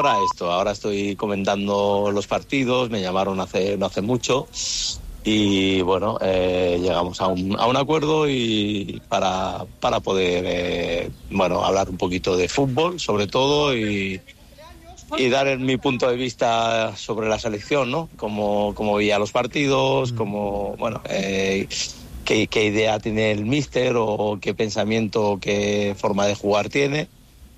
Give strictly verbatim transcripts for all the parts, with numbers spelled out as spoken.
para esto. Ahora estoy comentando los partidos, me llamaron hace no hace mucho y bueno, eh, llegamos a un, a un acuerdo y para, para poder eh, bueno, hablar un poquito de fútbol sobre todo y, y dar mi punto de vista sobre la selección, ¿no? Cómo, cómo veía los partidos, cómo, bueno, eh, qué, qué idea tiene el míster o qué pensamiento, qué forma de jugar tiene.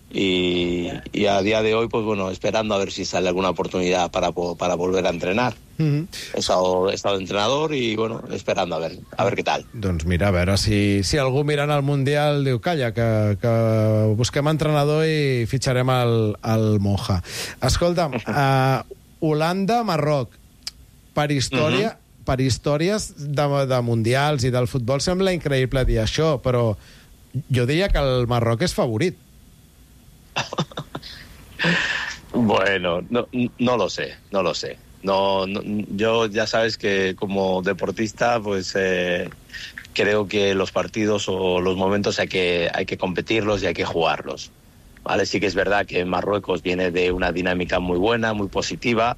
Y, y a día de hoy, pues bueno, esperando a ver si sale alguna oportunidad para, para volver a entrenar. Mm-hmm. He estado, he estado de entrenador i, bueno, esperando a ver, a ver què tal. Doncs mira, a veure si, si algú mirant el Mundial diu, calla, que, que busquem entrenador i fitxarem el, el Moja. Escolta'm, uh, Holanda, Marroc, per història, mm-hmm. per històries de, de Mundials i del futbol sembla increïble dir això, però jo diria que el Marroc és favorit. Bueno, no, no lo sé, no lo sé. No, no, yo ya sabes que como deportista, pues eh, creo que los partidos o los momentos hay que hay que competirlos y hay que jugarlos. Vale, sí que es verdad que Marruecos viene de una dinámica muy buena, muy positiva,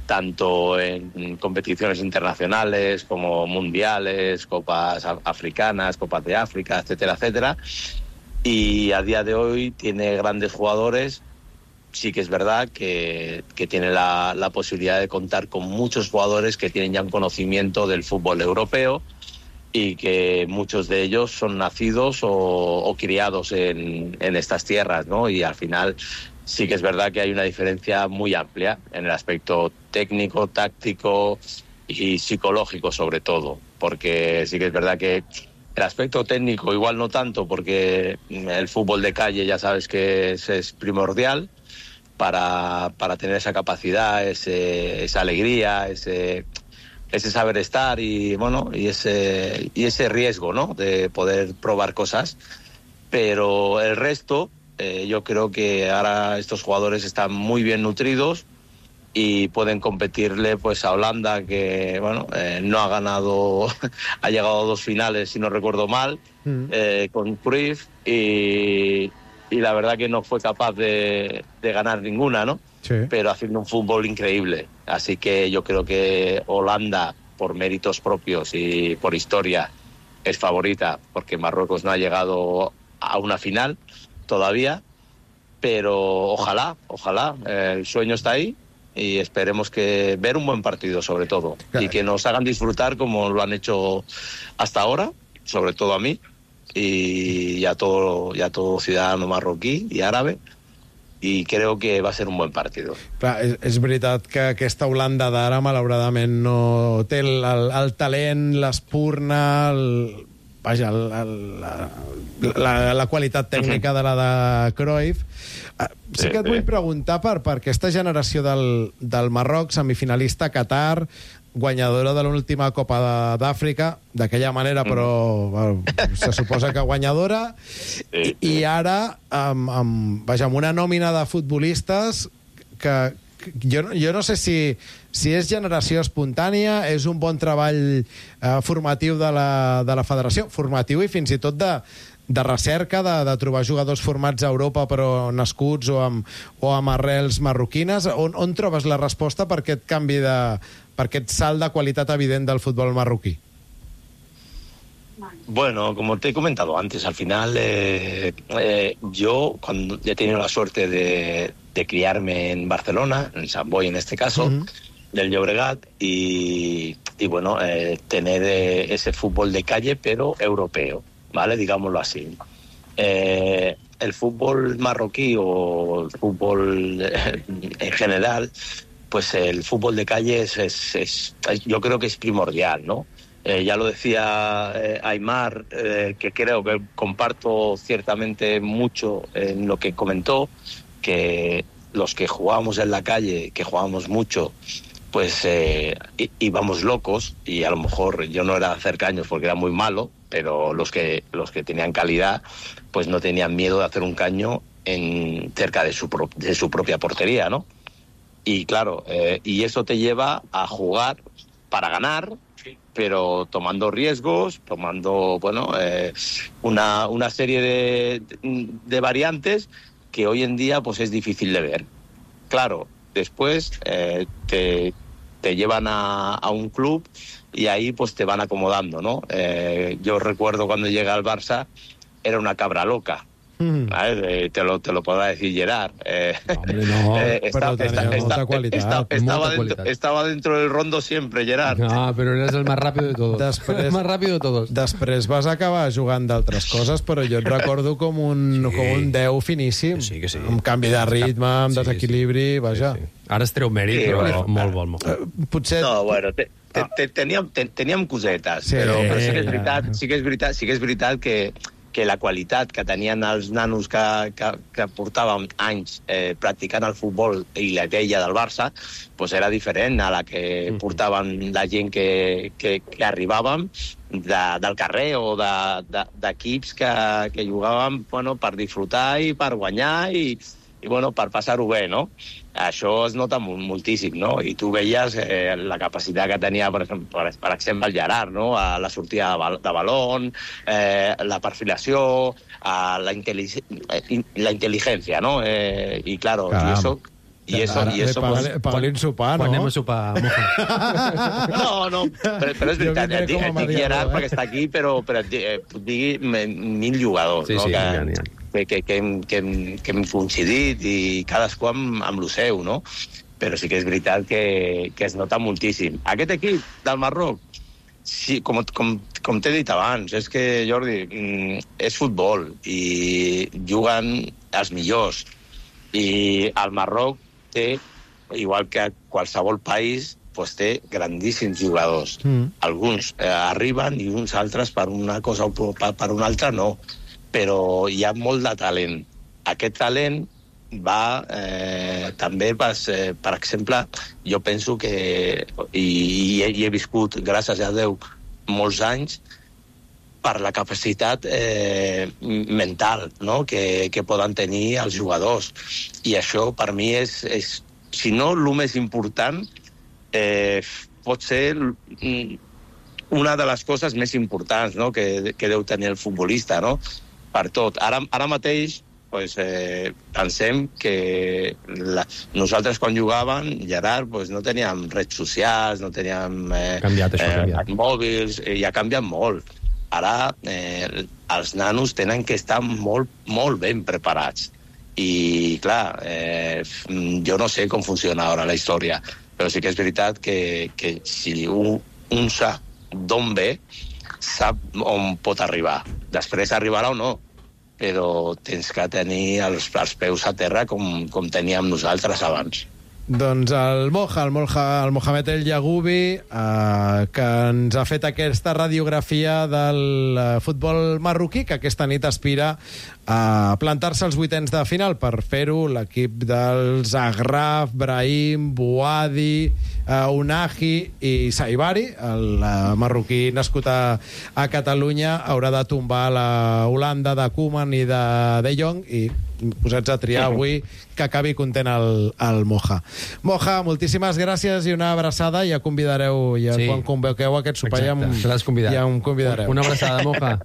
tanto en competiciones internacionales como mundiales, copas africanas, copas de África, etcétera, etcétera. Y a día de hoy tiene grandes jugadores. Sí que es verdad que, que tiene la, la posibilidad de contar con muchos jugadores que tienen ya un conocimiento del fútbol europeo y que muchos de ellos son nacidos o, o criados en, en estas tierras, ¿no? Y al final sí que es verdad que hay una diferencia muy amplia en el aspecto técnico, táctico y psicológico sobre todo, porque sí que es verdad que el aspecto técnico igual no tanto, porque el fútbol de calle ya sabes que es, es primordial para, para tener esa capacidad, ese, esa alegría, ese, ese saber estar y bueno y ese, y ese riesgo, ¿no? De poder probar cosas. Pero el resto, eh, yo creo que ahora estos jugadores están muy bien nutridos y pueden competirle pues a Holanda, que bueno eh, no ha ganado, ha llegado a dos finales si no recuerdo mal, mm. eh, con Cruyff y, y la verdad que no fue capaz de, de ganar ninguna, ¿no? Sí. Pero haciendo un fútbol increíble. Así que yo creo que Holanda, por méritos propios y por historia, es favorita, porque Marruecos no ha llegado a una final todavía, pero ojalá, ojalá, eh, el sueño está ahí. Y esperemos que ver un buen partido sobre todo, claro, y que nos hagan disfrutar como lo han hecho hasta ahora, sobre todo a mí y a todo, y a todo ciudadano marroquí y árabe, i crec que va ser un bon partit. Clar, és, és veritat que aquesta Holanda d'ara malauradament no té el, el, el talent, l'espurna, el, vaja, el, el, la, la, la qualitat tècnica de la de Cruyff. Sí que et vull preguntar per, per aquesta generació del, del Marroc, semifinalista a Qatar, guanyadora de l'última Copa d'Àfrica, d'aquella manera, però bueno, se suposa que guanyadora, i, i ara amb, amb, vaja, amb una nòmina de futbolistes que, que jo, jo no sé si, si és generació espontània, és un bon treball eh, formatiu de la, de la federació, formatiu i fins i tot de de recerca, de, de trobar jugadors formats a Europa però nascuts o amb, o amb arrels marroquines. On, on trobes la resposta per aquest canvi de, per aquest salt de qualitat evident del futbol marroquí? Bueno, como te he comentado antes, al final eh, eh, yo cuando he tenido la suerte de, de criarme en Barcelona, en Sant Boi en este caso, uh-huh. del Llobregat, y, y bueno, eh, tener eh, ese fútbol de calle pero europeo, ¿vale? Digámoslo así. Eh, el fútbol marroquí o el fútbol eh, en general, pues el fútbol de calle es, es, es, yo creo que es primordial, ¿no? Eh, ya lo decía eh, Aimar, eh, que creo que comparto ciertamente mucho en lo que comentó, que los que jugábamos en la calle, que jugábamos mucho, pues eh, íbamos locos, y a lo mejor yo no era hacer caños porque era muy malo, pero los que los que tenían calidad pues no tenían miedo de hacer un caño en cerca de su pro, de su propia portería, ¿no? Y claro, eh, y eso te lleva a jugar para ganar, pero tomando riesgos, tomando bueno eh, una una serie de, de variantes que hoy en día pues es difícil de ver. claro, después eh, te, te llevan a, a un club y ahí pues te van acomodando, ¿no? Eh, yo recuerdo cuando llegué al Barça, era una cabra loca. Mm. ¿Vale? Te lo, te lo podrá decir Gerard. Eh, Hombre, no, eh, está, pero está, tenía está, molta qualitat. Está, estaba, molta dentro, qualitat. estaba dentro del rondo siempre, Gerard. No, pero eres el más rápido de todos. Després, el más rápido de todos. Després vas acabar jugant d'altres coses, però jo et recordo com un, sí. com un deu finíssim. Sí, que sí. Amb canvi de ritme, amb sí, desequilibri, sí. vaja. Sí, sí. Ara es treu mèrit, Sí, però bueno, molt bon, molt bon. Uh, potser... No, bueno, te, te, te, teníem, te, teníem cosetes, Sí, però, però sí que és ja. veritat, sí que és veritat, sí que és veritat que que la qualitat que tenien els nanos que, que, que portàvem anys eh, practicant el futbol i la idea del Barça pues era diferent a la que portaven la gent que, que, que arribàvem de, del carrer o d'equips de, de, que, que jugàvem bueno, per disfrutar i per guanyar i, i bueno, per passar-ho bé, no? Això es nota moltíssim, no? I tu veies eh, la capacitat que tenia, per exemple, per, per exemple el Gerard, no? A la sortida de, bal de balón, eh, la perfilació, a la, inteligencia, la inteligencia, ¿no? Eh, y claro, Caram. y eso... Y eso, Ara, y eso paga, pues, paga sopar, no? Quan anem a sopar, Moja? no, no, però, però és veritat, et dic, et dic Gerard eh? perquè està aquí, però, però et dic, eh, digui mil jugadors, sí, no? Sí, que, ja, ja. que, que, que, hem, que, hem, que hem coincidit i cadascú amb, amb lo seu, no? Però sí que és veritat que, que es nota moltíssim. Aquest equip del Marroc, sí, com, com, com t'he dit abans, és que, Jordi, és futbol i juguen els millors. I el Marroc té, igual que qualsevol país, pues té grandíssims jugadors. Mm. Alguns eh, arriben i uns altres per una cosa o per, per una altra no. Però hi ha molt de talent. Aquest talent va eh, també, pas, eh, per exemple, jo penso que, i, i, he, i he viscut, gràcies a Déu, molts anys, per la capacitat eh, mental, no? que, que poden tenir els jugadors. I això, per mi, és, és si no el més important, eh, pot ser una de les coses més importants, no? que, que deu tenir el futbolista, no? Per tot. Ara, ara mateix pues, eh, pensem que la, nosaltres quan jugàvem, Gerard, pues, no teníem redes socials, no teníem eh, canviat, això, eh, canviat. mòbils, eh, i ha canviat molt. Ara eh, els nanos tenen que estar molt, molt ben preparats. I, clar, eh, jo no sé com funciona ara la història, però sí que és veritat que, que si un, un sap d'on ve, sap on pot arribar. Després arribarà o no, però tens que tenir els, els peus a terra com, com teníem nosaltres abans. Doncs el Moja, el, Moja, el Mohamed El Yagoubi, eh, que ens ha fet aquesta radiografia del eh, futbol marroquí, que aquesta nit aspira a plantar-se als vuitens de final. Per fer-ho, l'equip dels Agraf, Brahim, Bouadi, eh, Unahi i Saibari, el eh, marroquí nascut a, a Catalunya, haurà de tombar la Holanda de Koeman i de De Jong, i posats a triar avui, que acabi content el, el Moja. Moja, moltíssimes gràcies i una abraçada. Ja convidareu, ja sí. Quan convoqueu aquest sopar, ja, ja em convidareu. Una abraçada, Moja.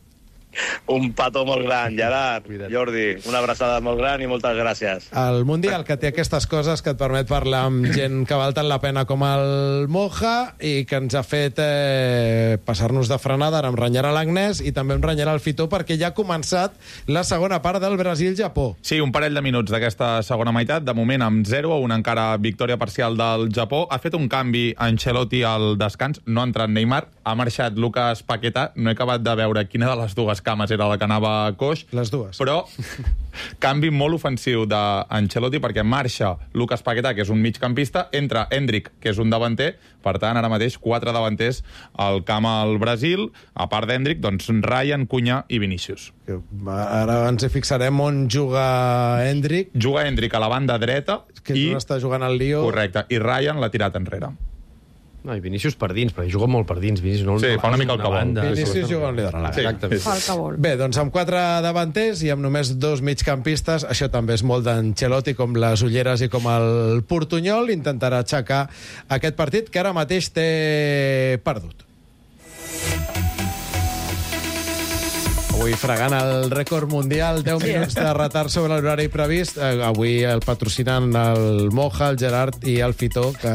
Un petó molt gran, Gerard, Jordi, una abraçada molt gran i moltes gràcies. El Mundial, que té aquestes coses que et permet parlar amb gent que val tant la pena com el Moja i que ens ha fet eh, passar-nos de frenada. Ara em renyarà l'Agnès i també em renyarà el Fitó, perquè ja ha començat la segona part del Brasil-Japó. Sí, un parell de minuts d'aquesta segona meitat, de moment amb zero a una encara victòria parcial del Japó. Ha fet un canvi Ancelotti al descans, no ha entrat Neymar, ha marxat Lucas Paquetá, no he acabat de veure quina de les dues cames era la que anava coix. Les dues. Però canvi molt ofensiu d'Ancelotti, perquè marxa Lucas Paquetá, que és un migcampista, entra Endrick, que és un davanter. Per tant, ara mateix, quatre davanters al camp al Brasil. A part d'Endrick, doncs, Ryan, Cunha i Vinícius. Ara ens hi fixarem on juga Endrick. Juga Endrick a la banda dreta. Que és i... on està jugant el Lió. Correcte. I Ryan l'ha tirat enrere. No, i Vinícius per dins, perquè juga molt per dins. Vinícius, no, sí, fa una mica el que vol. Vinícius juga on li dóna la gana. Exactament. Fa el que vol. Bé, doncs amb quatre davanters i amb només dos migcampistes, això també és molt d'Ancelotti, com les ulleres i com el portunyol, intentarà aixecar aquest partit que ara mateix té perdut. Avui fregant el rècord mundial, deu minuts de retard sobre l'horari previst. Eh, avui el patrocinen el Moja, el Gerard i el Fitó, que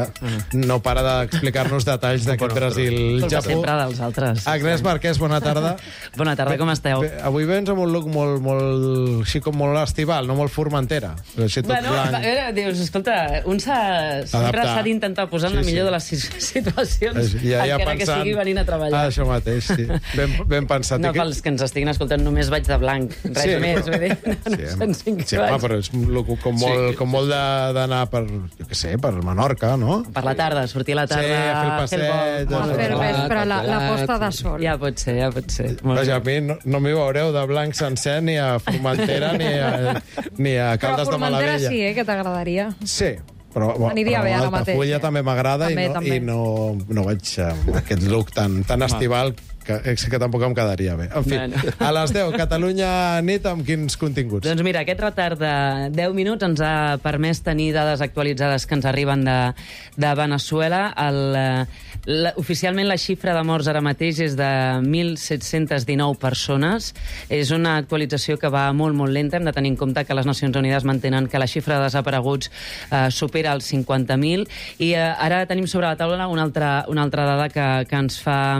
no para d'explicar-nos detalls d'aquest Brasil-Japó. Sempre dels altres. Agnès Marquès, bona tarda. Bona tarda, com esteu? Bé, avui vens amb un look molt, molt, així com molt estival, no molt formentera. Així tot Bueno, blanc. a veure, dius, escolta, un s'ha sempre Adaptar. s'ha d'intentar posar en la Sí, millor sí. de les si- situacions, Ja, ja encara que pensant- sigui venint a treballar. Ah, això mateix, sí. Ben, ben pensat. No, I que- pels que ens estiguin escoltant, només vaig de blanc, res Sí, més. però- Vull dir, no, Sí, no ens sí, home, però és un look com molt, com molt de- d'anar per, jo què sé, per Menorca, no? Per la tarda, sortir a la tarda, Sí, a fer el passeig, vol. a A fer vespre, la, la posta de sol. Ja pot ser, ja pot ser. Molt Vaja, a bé. mi no, no m'hi veureu de blanc sencer ni a Formentera ni a, ni a Però Caldes de Formentera Malavella. sí, eh, que t'agradaria. Sí, però, bueno, Aniria però bé ara Altafulla mateix, eh? també m'agrada i, També, no, també. i no, no vaig amb aquest look tan, tan estival que, és que tampoc em quedaria bé. En fi, Bueno. a les deu, Catalunya nit, amb quins continguts? Doncs mira, aquest retard de deu minuts ens ha permès tenir dades actualitzades que ens arriben de, de Venezuela. El, eh, la, oficialment la xifra de morts ara mateix és de mil set-cents dinou persones. És una actualització que va molt, molt lenta. Hem de tenir en compte que les Nacions Unides mantenen que la xifra de desapareguts eh, supera els cinquanta mil. I eh, ara tenim sobre la taula una altra, una altra dada que, que ens fa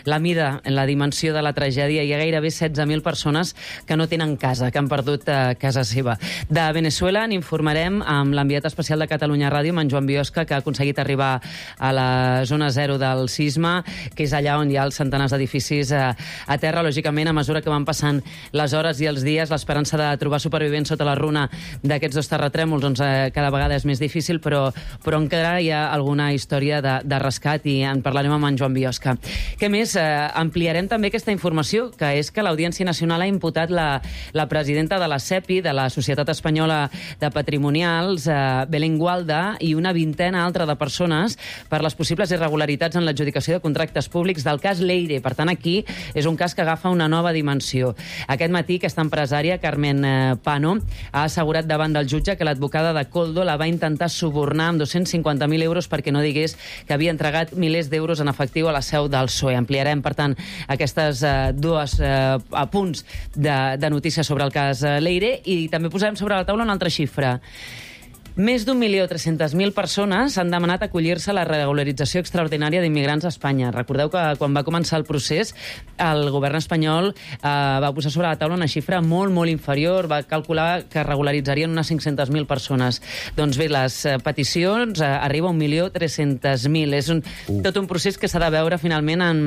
la mida en la dimensió de la tragèdia. Hi ha gairebé setze mil persones que no tenen casa, que han perdut eh, casa seva. De Venezuela n'informarem amb l'enviat especial de Catalunya Ràdio, amb en Joan Biosca, que ha aconseguit arribar a la zona zero del sisme, que és allà on hi ha els centenars d'edificis a, a terra. Lògicament, a mesura que van passant les hores i els dies, l'esperança de trobar supervivents sota la runa d'aquests dos terratrèmols doncs, eh, cada vegada és més difícil, però, però encara hi ha alguna història de, de rescat i en parlarem amb en Joan Biosca. Què més? Eh, ampliarem també aquesta informació, que és que l'Audiència Nacional ha imputat la, la presidenta de la SEPI, de la Societat Espanyola de Patrimonials, eh, Belén Gualda, i una vintena altra de persones per les possibles irregularitats en l'adjudicació de contractes públics del cas Leire. Per tant, aquí és un cas que agafa una nova dimensió. Aquest matí, aquesta empresària, Carmen eh, Pano, ha assegurat davant del jutge que l'advocada de Koldo la va intentar subornar amb dos-cents cinquanta mil euros perquè no digués que havia entregat milers d'euros en efectiu a la seu del P S O E. Ampliarem, per tant, aquestes eh, dues eh, punts de, de notícies sobre el cas eh, Leire, i també posarem sobre la taula una altra xifra. Més d'un milió tres-centes mil persones han demanat acollir-se a la regularització extraordinària d'immigrants a Espanya. Recordeu que quan va començar el procés, el govern espanyol eh, va posar sobre la taula una xifra molt, molt inferior. Va calcular que regularitzarien unes cinc-centes mil persones. Doncs bé, les eh, peticions eh, arriba a un milió tres-centes mil. És un, uh. tot un procés que s'ha de veure finalment en...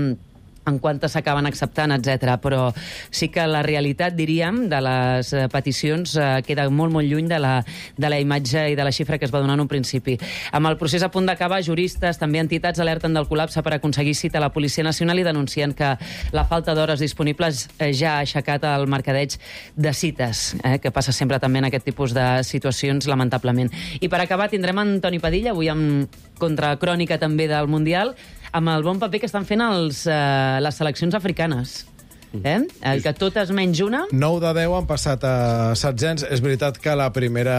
en quantes s'acaben acceptant, etcètera. Però sí que la realitat, diríem, de les eh, peticions eh, queda molt, molt lluny de la, de la imatge i de la xifra que es va donar en un principi. Amb el procés a punt d'acabar, juristes, també entitats, alerten del col·lapse per aconseguir cita a la Policia Nacional i denuncien que la falta d'hores disponibles eh, ja ha aixecat el mercadeig de cites, eh, que passa sempre també en aquest tipus de situacions, lamentablement. I per acabar tindrem en Toni Padilla, avui amb contracrònica també del Mundial, amb el bon paper que estan fent els, eh, les seleccions africanes. Eh? El que totes menys una... nou de deu han passat a setzents. És veritat que la primera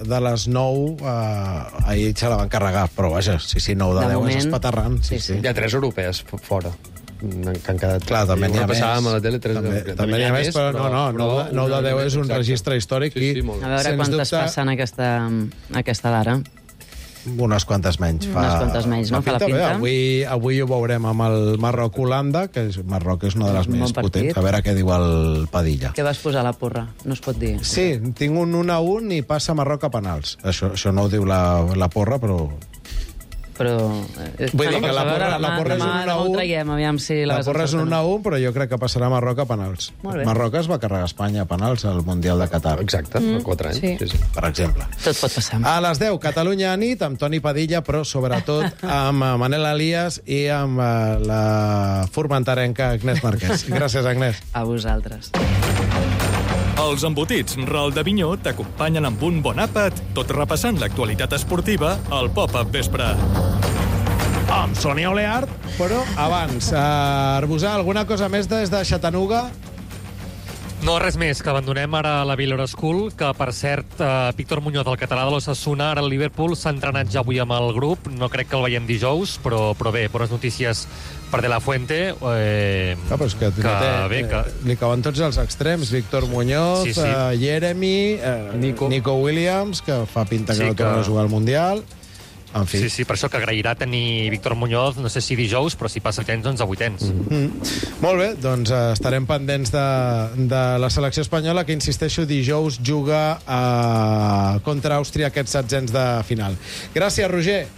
de les nou eh, ahir se la van carregar, però vaja, sí, sí, nou de, De deu moment, és espaterrant. Sí, sí, sí. sí. Hi ha tres europees f- fora. Que han quedat... Clar, també n'hi ha més. Passàvem a la tele tres... També, també n'hi ha més, però no, no, nou de- nou de deu és un registre històric Sí, sí, i, molt bé. A veure sens quantes dubte, passen aquesta, aquesta d'ara. unes quantes menys. Fa, Unes quantes menys, no? Fa la Bé, pinta. avui, avui ho veurem amb el Marroc-Holanda, que és, Marroc és una de les Un bon més partit. potents. A veure què diu el Padilla. Què vas posar a la porra? No es pot dir. Sí, tinc un un a un i passa Marroc a penals. Això, això no ho diu la, la porra, però... Però... Eh, Vull dir bueno, que la a veure, porra- la demà- porra és demà- un un a demà ho un. traiem, aviam si la, La vas porra és un encertar. un a un, però jo crec que passarà Marroc a penals. Molt bé. Marroc es va carregar a Espanya a penals al Mundial de Qatar, Exacte, mm. quatre anys. sí. Sí, sí. per exemple. Tot pot passar. A les deu, Catalunya a nit, amb Toni Padilla, però sobretot amb eh, Manel Elias i amb eh, la formenterenca Agnès Marquès. Gràcies, Agnès. A vosaltres. Els embotits Ral de Vinyó t'acompanyen amb un bon àpat, tot repassant l'actualitat esportiva al Pop-Up Vespre. Amb Sònia Oleart, però abans, eh, Arbusà, alguna cosa més des de Chattanooga? No, res més, que abandonem ara la Villora School, que, per cert, eh, Víctor Muñoz, el català de l'Osasuna, ara al Liverpool, s'ha entrenat ja avui amb el grup. No crec que el veiem dijous, però, però bé, bones notícies per De La Fuente. Eh, ah, però és que, que, té, bé, que... li cauen tots els extrems. Víctor Muñoz, sí, sí. Uh, Jeremy, uh, Nico. Nico Williams, que fa pinta que sí, no torna que... a jugar al Mundial. En fi. Sí, sí, per això que agrairà tenir Víctor Muñoz, no sé si dijous, però si passa el temps, doncs a vuitens. Mm -hmm. Molt bé, doncs uh, estarem pendents de, de la selecció espanyola, que, insisteixo, dijous juga uh, contra Àustria aquests setzents de final. Gràcies, Roger.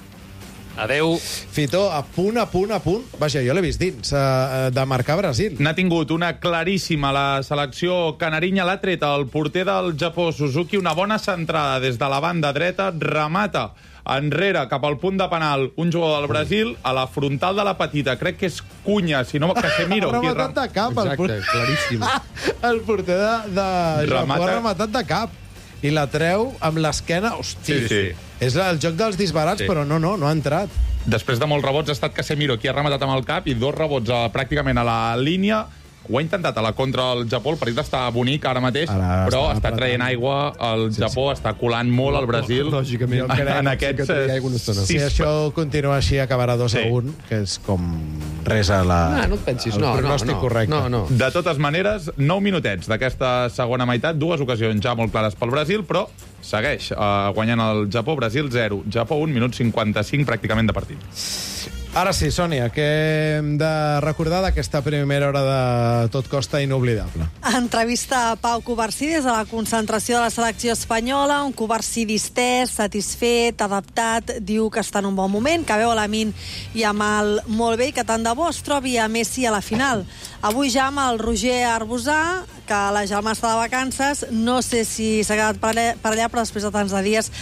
Adeu. Fito, a punt, a punt, a punt. Vaja, jo l'he vist dins, uh, de marcar Brasil. N'ha tingut una claríssima la selecció canarinya, l'ha tret el porter del Japó, Suzuki, una bona centrada des de la banda dreta, remata enrere, cap al punt de penal, un jugador del Brasil, a la frontal de la petita, crec que és Cunha, si no, Casemiro. Ha rematat de cap. Exacte, el claríssim. El porter de, de Japó ha rematat de cap. I la treu amb l'esquena. Hosti, sí, sí. És el joc dels disbarats, sí. Però no, no, no ha entrat. Després de molts rebots ha estat Casemiro qui ha rematat amb el cap i dos rebots a, pràcticament a la línia. Ho ha intentat a la contra del Japó, el partit està bonic ara mateix, ara però està, està traient aigua el sí, Japó, sí. Està colant molt el Brasil. Lògicament, en, en aquests... Si això continua així, acabarà dos a un, que és com res a la... No, no et pensis, el no, pronòstic no, correcte. No, no. De totes maneres, nou minutets d'aquesta segona meitat, dues ocasions ja molt clares pel Brasil, però segueix uh, guanyant el Japó, Brasil zero, Japó un, minut cinquanta-cinc pràcticament de partit. Ara sí, Sònia, què hem de recordar d'aquesta primera hora de Tot Costa inoblidable? Entrevista a Pau Covarsí des de la concentració de la selecció espanyola, un Covarsí distès, satisfet, adaptat, diu que està en un bon moment, que veu a Lamine i amb el molt bé i que tant de bo es trobi a Messi a la final. Avui ja amb el Roger Arbusà, que la germà està de vacances, no sé si s'ha quedat per allà, per allà, però després de tants de dies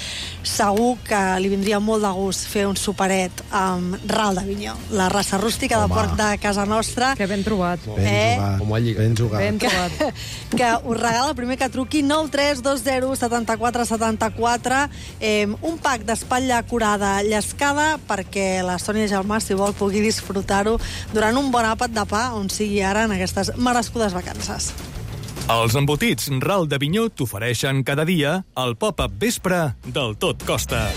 segur que li vindria molt de gust fer un superet amb Ral d'Avinyó, la raça rústica Home. de porc de casa nostra. Que ben trobat. Ben eh? jugat. Com ben jugat. Ben trobat. Que, que us regala el primer que truqui nou tres dos zero set quatre set quatre, eh, un pack d'espatlla curada llescada perquè la Sònia Germà, si vol, pugui disfrutar-ho durant un bon àpat de pa on sigui ara en aquestes merescudes vacances. Els embotits Ral d'Avinyó t'ofereixen cada dia el pop-up vespre del Tot Costa.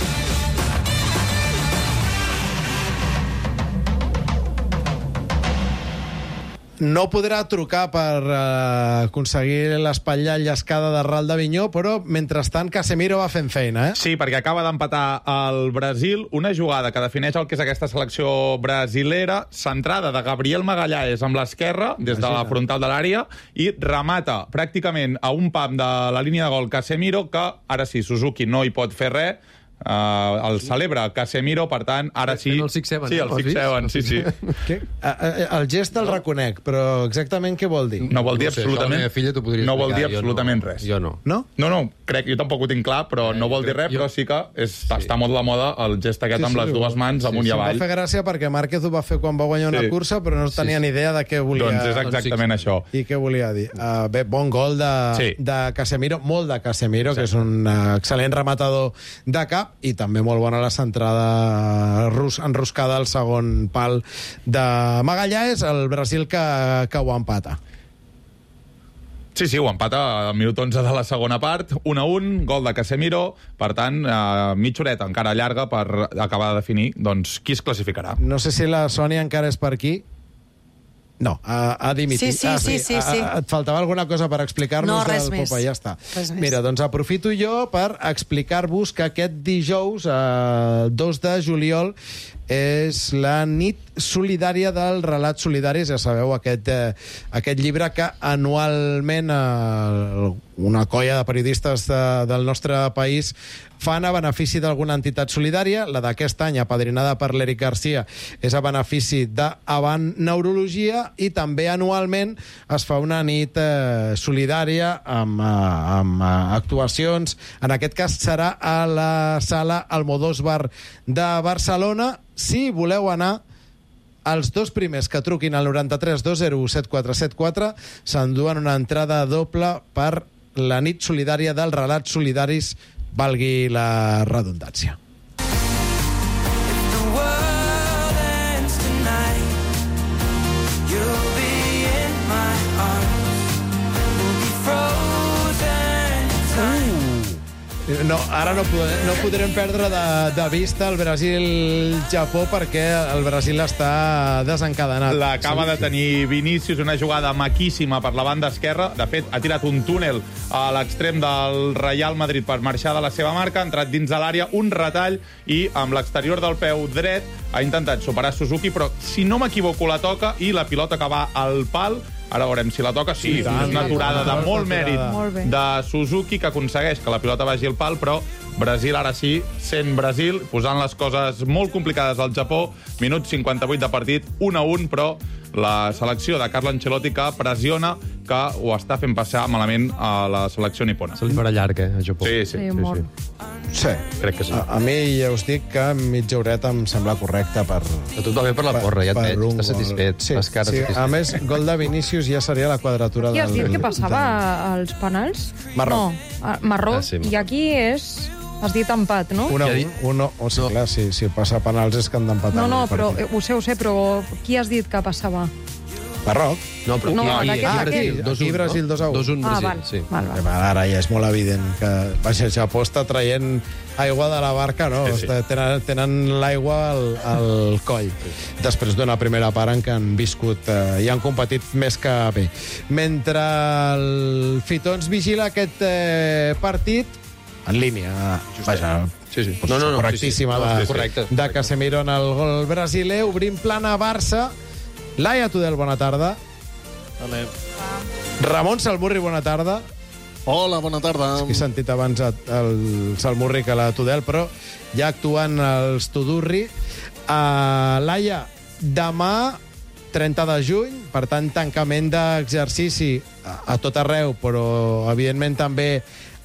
No podrà trucar per uh, aconseguir l'espatlla llescada de Ral d'Avinyó, però, mentrestant, Casemiro va fent feina, eh? Sí, perquè acaba d'empatar el Brasil, una jugada que defineix el que és aquesta selecció brasilera, centrada de Gabriel Magalhães amb l'esquerra, des de la frontal de l'àrea, i remata pràcticament a un pam de la línia de gol Casemiro, que ara sí, Suzuki no hi pot fer res, Uh, el celebra Casemiro, per tant, ara sí... El six seven, sí, el six seven, sí, sí. Què? El gest el reconec, però exactament què vol dir? No vol dir no sé, absolutament, filla no vol dir absolutament no, res. Jo no. No? No, no, crec, jo tampoc ho tinc clar, però eh, no vol dir res, jo... però sí que és, sí. està molt de la moda el gest aquest sí, amb sí, les dues mans amunt sí, i avall. Sí, em va fer gràcia perquè Márquez ho va fer quan va guanyar una sí. cursa, però no tenia sí, ni idea de què volia... Doncs és exactament això. I què volia dir? Uh, bé, bon gol de, sí. de Casemiro, molt de Casemiro, sí. que és un uh, excel·lent rematador de cap, i també molt bon a la centrada rus, enroscada al segon pal de Magalhães, el Brasil que, que ho empata. Sí, sí, ho empata al minut onze de la segona part, un a un, gol de Casemiro, per tant, eh, mitja horeta encara llarga per acabar de definir doncs, qui es classificarà. No sé si la Sònia encara és per aquí. No, ha, ha dimitit. Sí, sí, ah, sí, sí, sí. A, a, et faltava alguna cosa per explicar-nos? No, res del més. Popa, ja està. Res Mira, més. doncs aprofito jo per explicar-vos que aquest dijous, eh, dos de juliol, és la nit solidària del Relat Solidaris. Ja sabeu, aquest, eh, aquest llibre que anualment eh, una colla de periodistes de, del nostre país fan a benefici d'alguna entitat solidària. La d'aquest any, apadrinada per l'Eric Garcia, és a benefici d'Avant Neurologia, i també anualment es fa una nit eh, solidària amb, eh, amb eh, actuacions. En aquest cas serà a la sala Almodóvar de Barcelona. Si voleu anar, els dos primers que truquin al noranta-tres dos zero u set quatre set quatre s'enduen una entrada doble per la nit solidària del Relat Solidaris, valgui la redundància. No, ara no, podrem, no podrem perdre de, de vista el Brasil-Japó perquè el Brasil està desencadenat. L'acaba de tenir Vinícius, una jugada maquíssima per la banda esquerra. De fet, ha tirat un túnel a l'extrem del Real Madrid per marxar de la seva marca, ha entrat dins de l'àrea, un retall, i amb l'exterior del peu dret ha intentat superar Suzuki, però si no m'equivoco la toca i la pilota que va al pal. Ara veurem si la toca. Sí, sí, és una aturada de molt mèrit de Suzuki, que aconsegueix que la pilota vagi al pal, però Brasil, ara sí, sent Brasil, posant les coses molt complicades al Japó. Minut cinquanta-vuit de partit, un a un, però la selecció de Carlo Ancelotti que pressiona, que ho està fent passar malament a la selecció nipona. Se li farà llarg, eh, a Japó. Sí, sí. sí, sí, sí. Sí. Crec que sí. A, a mi ja us dic que mitja horeta em sembla correcta per... A tot va bé per la porra, ja et veig, estàs satisfet. Sí, les cares sí. satisfet. A més, gol de Vinícius ja seria la quadratura del... Qui has dit que passava als penals? Marroc. No, Marroc. Ah, sí, Marroc. I aquí és... Has dit empat, no? Un a un, un, o sigui, clar, si, si passa a penals és que han d'empatar. No, no, però eh, ho sé, ho sé, però qui has dit que passava? Marroc. No, però No, aquí, d'aquest, aquí, d'aquest. dos Aquí un, Brasil dos a un. dos un Ah, Brasil, val, sí. val, val. Eh, Ara ja és molt evident que vaja, el Japó està traient aigua de la barca, no? Sí, sí. Està- Tenen, tenen l'aigua al, al coll. Després d'una primera part en què han viscut eh, i han competit més que bé. Mentre el Fitons vigila aquest eh, partit en línia, vaja, Sí, sí. no, no, no, correctíssima sí, sí. No, de, sí, correcte. de Casemiro en el gol brasiler. Obrim plana Barça. Laia Tudel, bona tarda. Vale. Ramon Salmurri, bona tarda. Hola, bona tarda. He sentit abans el Salmurri que la Tudel, però ja actuant els Tudurri. Uh, Laia, demà, trenta de juny, per tant, tancament d'exercici a, a tot arreu, però, evidentment, també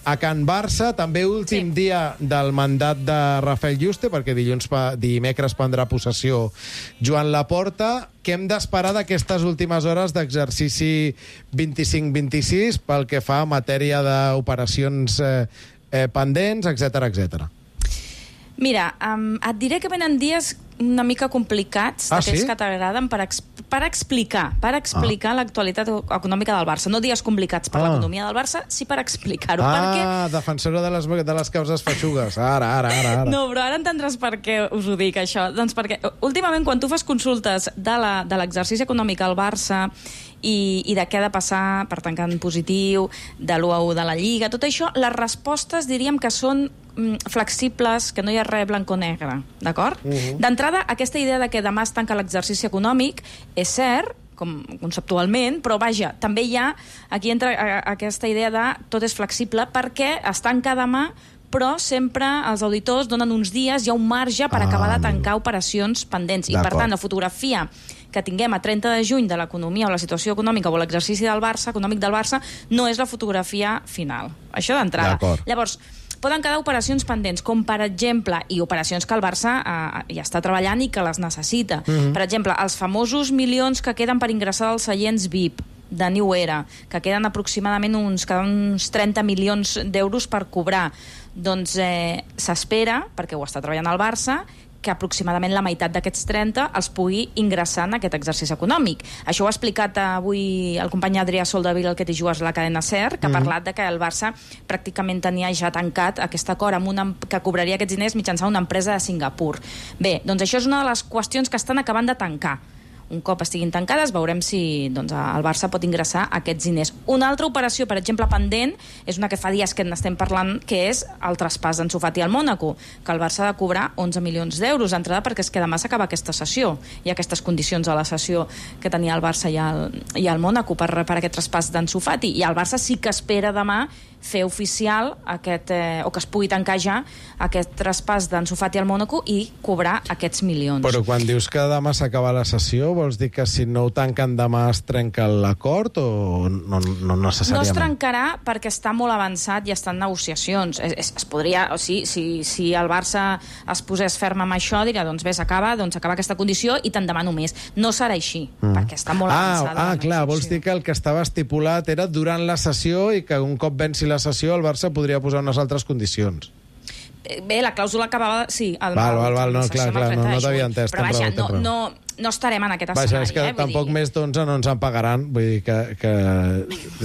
a Can Barça, també últim sí. dia del mandat de Rafael Yuste, perquè dilluns pa, dimecres prendrà possessió Joan Laporta. Què hem d'esperar d'aquestes últimes hores d'exercici vint-i-cinc vint-i-sis pel que fa a matèria d'operacions eh, eh, pendents, etcètera, etcètera? Mira, um, et diré que venen dies una mica complicats, ah, d'aquells sí? que t'agraden, per, ex per explicar per explicar ah. l'actualitat econòmica del Barça. No dies complicats per ah. l'economia del Barça, sí per explicar-ho. Ah, perquè... defensora de les, de les causes feixugues. Ara, ara, ara, ara. No, però ara entendràs per què us ho dic, això. Doncs perquè, últimament, quan tu fas consultes de l'exercici econòmic al Barça i, i de què ha de passar per tancar en positiu, de l'u a u de la Lliga, tot això, les respostes diríem que són flexibles, que no hi ha res blanc o negre, d'acord? Uh -huh. D'entrada, aquesta idea de que demà es tanca l'exercici econòmic és cert, com conceptualment, però vaja, també hi ha, aquí entra aquesta idea de tot és flexible perquè es tanca demà, però sempre els auditors donen uns dies, hi ha un marge per ah, acabar de tancar amigo. operacions pendents. I, per tant, la fotografia que tinguem a trenta de juny de l'economia o la situació econòmica o l'exercici del Barça, econòmic del Barça, no és la fotografia final. Això d'entrada. Llavors, poden quedar operacions pendents, com per exemple, i operacions que el Barça eh, ja està treballant i que les necessita. Mm-hmm. Per exemple, els famosos milions que queden per ingressar als seients V I P de New Era, que queden aproximadament uns, uns trenta milions d'euros per cobrar. Doncs eh, s'espera, perquè ho està treballant el Barça, que aproximadament la meitat d'aquests trenta els pugui ingressar en aquest exercici econòmic. Això ho ha explicat avui el company Adrià Soldevila, el que t'hi jugues a la cadena SER, que ha parlat de que el Barça pràcticament tenia ja tancat aquest acord amb una, que cobraria aquests diners mitjançant una empresa de Singapur. Bé, doncs això és una de les qüestions que estan acabant de tancar. Un cop estiguin tancades, veurem si doncs, el Barça pot ingressar aquests diners. Una altra operació, per exemple, pendent, és una que fa dies que n'estem parlant, que és el traspàs d'Ansu Fati al Mònaco, que el Barça ha de cobrar onze milions d'euros d'entrada, perquè és que demà s'acaba aquesta sessió. Hi ha aquestes condicions a la sessió que tenia el Barça i el, i el Mònaco per, per aquest traspàs d'Ansu Fati. I el Barça sí que espera demà fer oficial aquest, eh, o que es pugui tancar ja aquest traspàs d'Ansu Fati al Mònaco i cobrar aquests milions. Però quan dius que demà s'acaba la sessió, vols dir que si no ho tanquen demà es trenca l'acord o no, no necessàriament? No es trencarà perquè està molt avançat i està en negociacions. Es, es, es podria, o sigui, si, si el Barça es posés ferm amb això, diria, doncs bé, s'acaba, doncs acaba aquesta condició i tant demà només. No serà així, mm. perquè està molt ah, avançada. Ah, clar, vols dir que el que estava estipulat era durant la sessió i que un cop venci la sessió el Barça podria posar unes altres condicions. bé, la clàusula acabava... Sí, el, val, val, val, no, clar, clar, no, no t'havia entès. Però vaja, no, no, no estarem en aquest escenari. Vaja, és que eh? tampoc dir... més d'onze no ens en pagaran, vull dir que... que...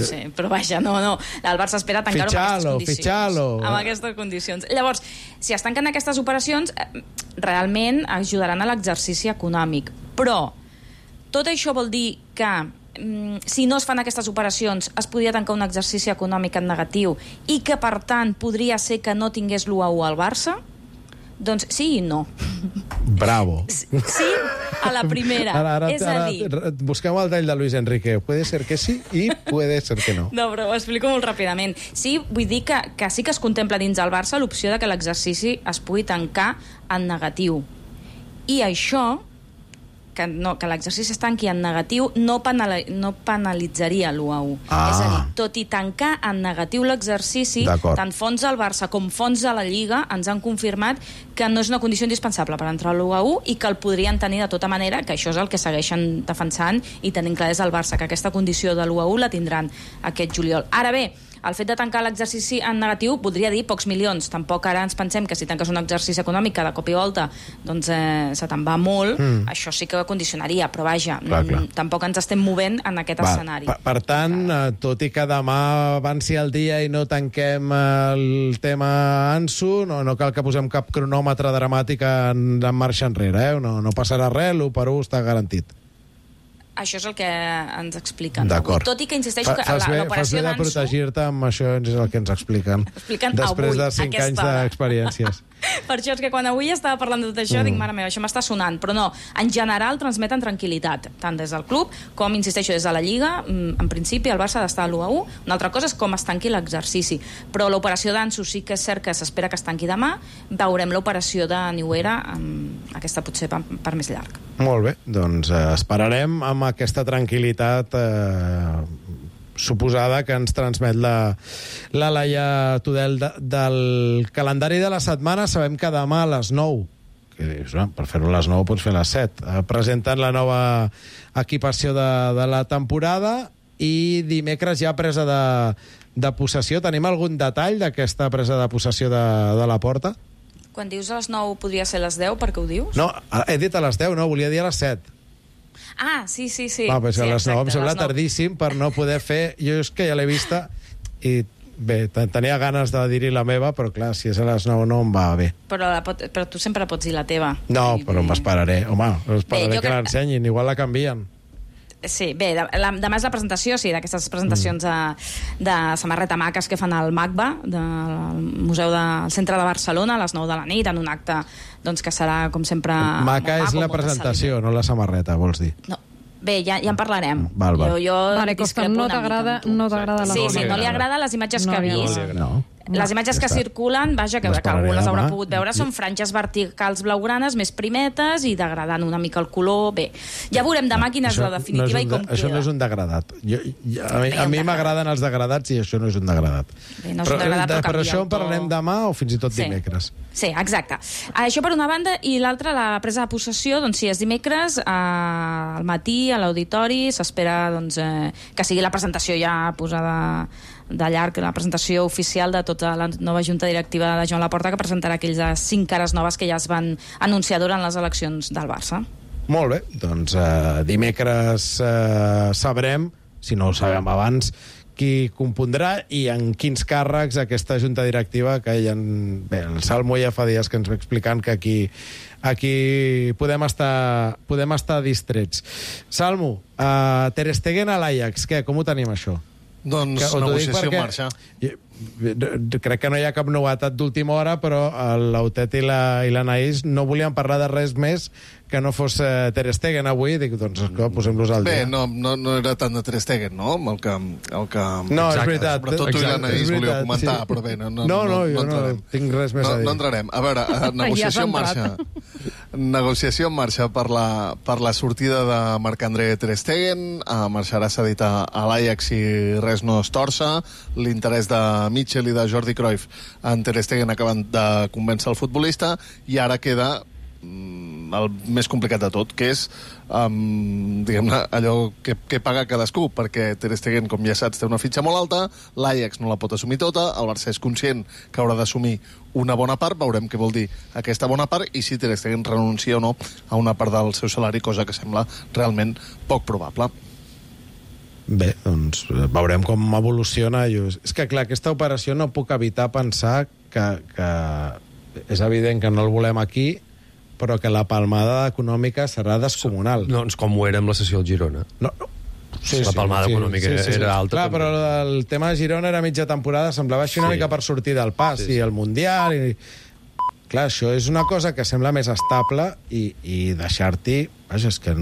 Sí, però vaja, no, no. El Barça espera tancar-ho amb aquestes condicions. Fitxalo, amb aquestes condicions. Llavors, si es tanquen aquestes operacions, realment ajudaran a l'exercici econòmic. Però tot això vol dir que si no es fan aquestes operacions es podria tancar un exercici econòmic en negatiu i que, per tant, podria ser que no tingués l'u a u al Barça? Doncs sí i no. Bravo. Sí a la primera. Ara, ara, és a dir... Ara, busquem el tall de Luis Enrique. Puede ser que sí i puede ser que no. No, però ho explico molt ràpidament. Sí, vull dir que, que sí que es contempla dins el Barça l'opció de que l'exercici es pugui tancar en negatiu. I això... que, no, que l'exercici es tanqui en negatiu no, penali, no penalitzaria l'u a u. Ah. És a dir, tot i tancar en negatiu l'exercici, tant fons del Barça com fons de la Lliga ens han confirmat que no és una condició indispensable per entrar a l'u a u i que el podrien tenir de tota manera, que això és el que segueixen defensant i tenint clar des del Barça, que aquesta condició de l'u a u la tindran aquest juliol. Ara bé, el fet de tancar l'exercici en negatiu voldria dir pocs milions. Tampoc ara ens pensem que si tanques un exercici econòmic cada cop i volta doncs eh, se te'n va molt, mm. això sí que condicionaria, però vaja, clar, clar. tampoc ens estem movent en aquest va, escenari. Per, per tant, eh, tot i que demà avanci el dia i no tanquem el tema Ansu, no, no cal que posem cap cronòmetre dramàtic en, en marxa enrere, eh? no, no passarà res, l'u per u està garantit. Això és el que ens expliquen. D'acord. Tot i que insisteixo que fas bé, l'operació d'Ansu... Fas bé de protegir-te amb això, és el que ens expliquen. Expliquen després avui, de cinc anys d'experiències. Per això és que quan avui estava parlant de tot això mm. dic, mare meva, això m'està sonant. Però no, en general transmeten tranquil·litat, tant des del club com, insisteixo, des de la Lliga. En principi el Barça ha d'estar a l'u a u. Una altra cosa és com es tanqui l'exercici. Però l'operació d'Ansu sí que és cert que s'espera que es tanqui demà. Veurem l'operació de Niuera, aquesta potser per, per més llarg. Molt bé, doncs eh, esperarem amb aquesta tranquil·litat eh, suposada que ens transmet la, la Laia Tudel de, del calendari de la setmana. Sabem que demà a les nou, que dius, no, per fer-ho a les nou pots fer a les set, eh, presenten la nova equipació de, de la temporada i dimecres ja presa de, de possessió. Tenim algun detall d'aquesta presa de possessió de, de la Porta? Quan dius a les nou podria ser a les deu, per què ho dius? No, he dit a les deu, no, volia dir a les set. Ah, sí, sí, sí. Va, pues sí, a les exacte, nou em sembla nou. tardíssim per no poder fer... Jo és que ja l'he vista i bé, tenia ganes de dir-hi la meva, però clar, si és a les nou no em va bé. Però, la pot, però tu sempre pots dir la teva. No, I, però m'esperaré. Home, m'esperaré que, que l'ensenyin, igual la canvien. Sí, bé, la, demà és la presentació, sí, d'aquestes presentacions mm. de, de samarreta maques que fan al MACBA, del Museu del Centre de Barcelona, a les nou de la nit, en un acte doncs, que serà, com sempre... Maca és la presentació, no la samarreta, vols dir? No. Bé, ja, ja en parlarem. Val, val. Jo, jo vale, Costa, no t'agrada no t'agrada la Sí, sí, no li agrada les imatges no que ha vist. No. Les imatges que circulen, vaja, que, que algú les haurà pogut veure, són franges verticals blaugranes, més primetes i degradant una mica el color. Bé, ja veurem demà quina és la definitiva no és i com de, això queda. no és un degradat. Jo, jo, a mi, a mi m'agraden els degradats i això no és un degradat. Bé, no és però, un degradat, però per això en parlarem demà o fins i tot sí. dimecres. Sí, exacte. Això per una banda, i l'altra, la presa de possessió, doncs sí, és dimecres, eh, al matí, a l'auditori, s'espera doncs, eh, que sigui la presentació ja posada de llarg, la presentació oficial de tota la nova junta directiva de Joan Laporta, que presentarà aquelles cinc cares noves que ja es van anunciar durant les eleccions del Barça. Molt bé, doncs eh, dimecres eh, sabrem, si no ho sabem abans, qui compondrà i en quins càrrecs aquesta junta directiva que hi ha... Bé, el Salmo ja fa dies que ens va explicant que aquí, aquí podem, estar, podem estar distrets. Salmo, uh, Ter Stegen a l'Ajax, què, com ho tenim això? Doncs que, negociació en marxa. Crec que no hi ha cap novetat d'última hora, però l'Autet i l'Anaïs no volien parlar de res més que no fos uh, Ter Stegen avui. Dic, doncs posem-los al dia. Bé, no, no, no era tant de Ter Stegen, no? El que, el que... No, exacte, és veritat. Sobretot tu i l'Anaïs volíeu comentar, sí. Però bé, no, no, no, no, no, jo no, no tinc res més no, a dir. No entrarem. A veure, negociació en marxa. Negociació en marxa per la, per la sortida de Marc-André Ter Stegen. Uh, marxarà cedit a, a l'Ajax si res no es torça. L'interès de Mitchell i de Jordi Cruyff en Ter Stegen acaben de convèncer el futbolista i ara queda mm, el més complicat de tot, que és um, diguem-ne, allò que, que paga cadascú, perquè Ter Stegen, com ja saps, té una fitxa molt alta, l'Ajax no la pot assumir tota, el Barça és conscient que haurà d'assumir una bona part, veurem què vol dir aquesta bona part i si Ter Stegen renuncia o no a una part del seu salari, cosa que sembla realment poc probable. Bé, doncs veurem com evoluciona. És que, clar, aquesta operació no puc evitar pensar que, que és evident que no el volem aquí, però que la palmada econòmica serà descomunal. No, doncs com ho era amb la sessió al Girona. No, no. Sí, la palmada sí, econòmica sí, sí, sí. era alta. Clar, però el tema de Girona era mitja temporada, semblava així una Sí. mica per sortir del pas, Sí, sí. i el Mundial... I... Clar, això és una cosa que sembla més estable i, i deixar-t'hi... Vaja, és que...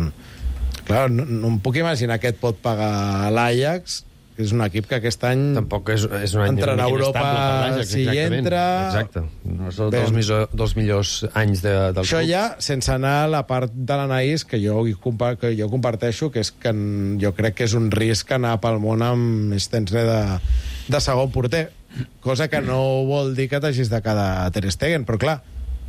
Clar, no, no em puc imaginar què et pot pagar l'Ajax, que és un equip que aquest any... Tampoc és, és un any entrarà a Europa l'Ajax, si hi entra... Exacte. No són dels, millors, dels millors anys de, del Això club. ja, sense anar a la part de l'Anaïs, que jo, que jo comparteixo, que és que jo crec que és un risc anar pel món amb Stenzel de, de segon porter, cosa que no vol dir que t'hagis de quedar a Ter Stegen, però clar,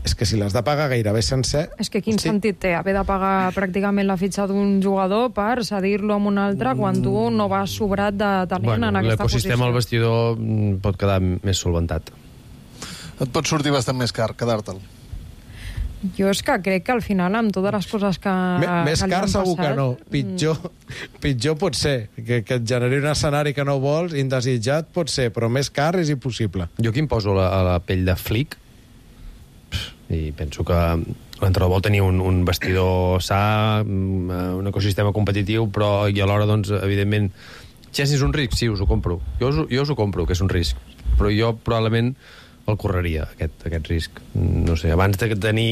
és que si l'has de pagar gairebé sencer... És que quin hosti. sentit té haver de pagar pràcticament la fitxa d'un jugador per cedir-lo amb un altre quan tu no vas sobrat de talent bueno, en aquesta posició? L'ecosistema al vestidor pot quedar més solventat. Et pot sortir bastant més car quedar-te'l. Jo és que crec que al final, amb totes les coses que, M més que car segur passat, que no. Pitjor, pitjor pot ser. Que, que et generi un escenari que no vols, indesitjat pot ser, però més car és impossible. Jo aquí em poso la, a la pell de Flick i penso que l'entrenador vol tenir un, un vestidor sa, un ecosistema competitiu, però i alhora, doncs, evidentment, Chelsea és un risc, sí, us ho compro. Jo us, jo us ho compro, que és un risc. Però jo probablement el correria, aquest, aquest risc. No sé, abans de tenir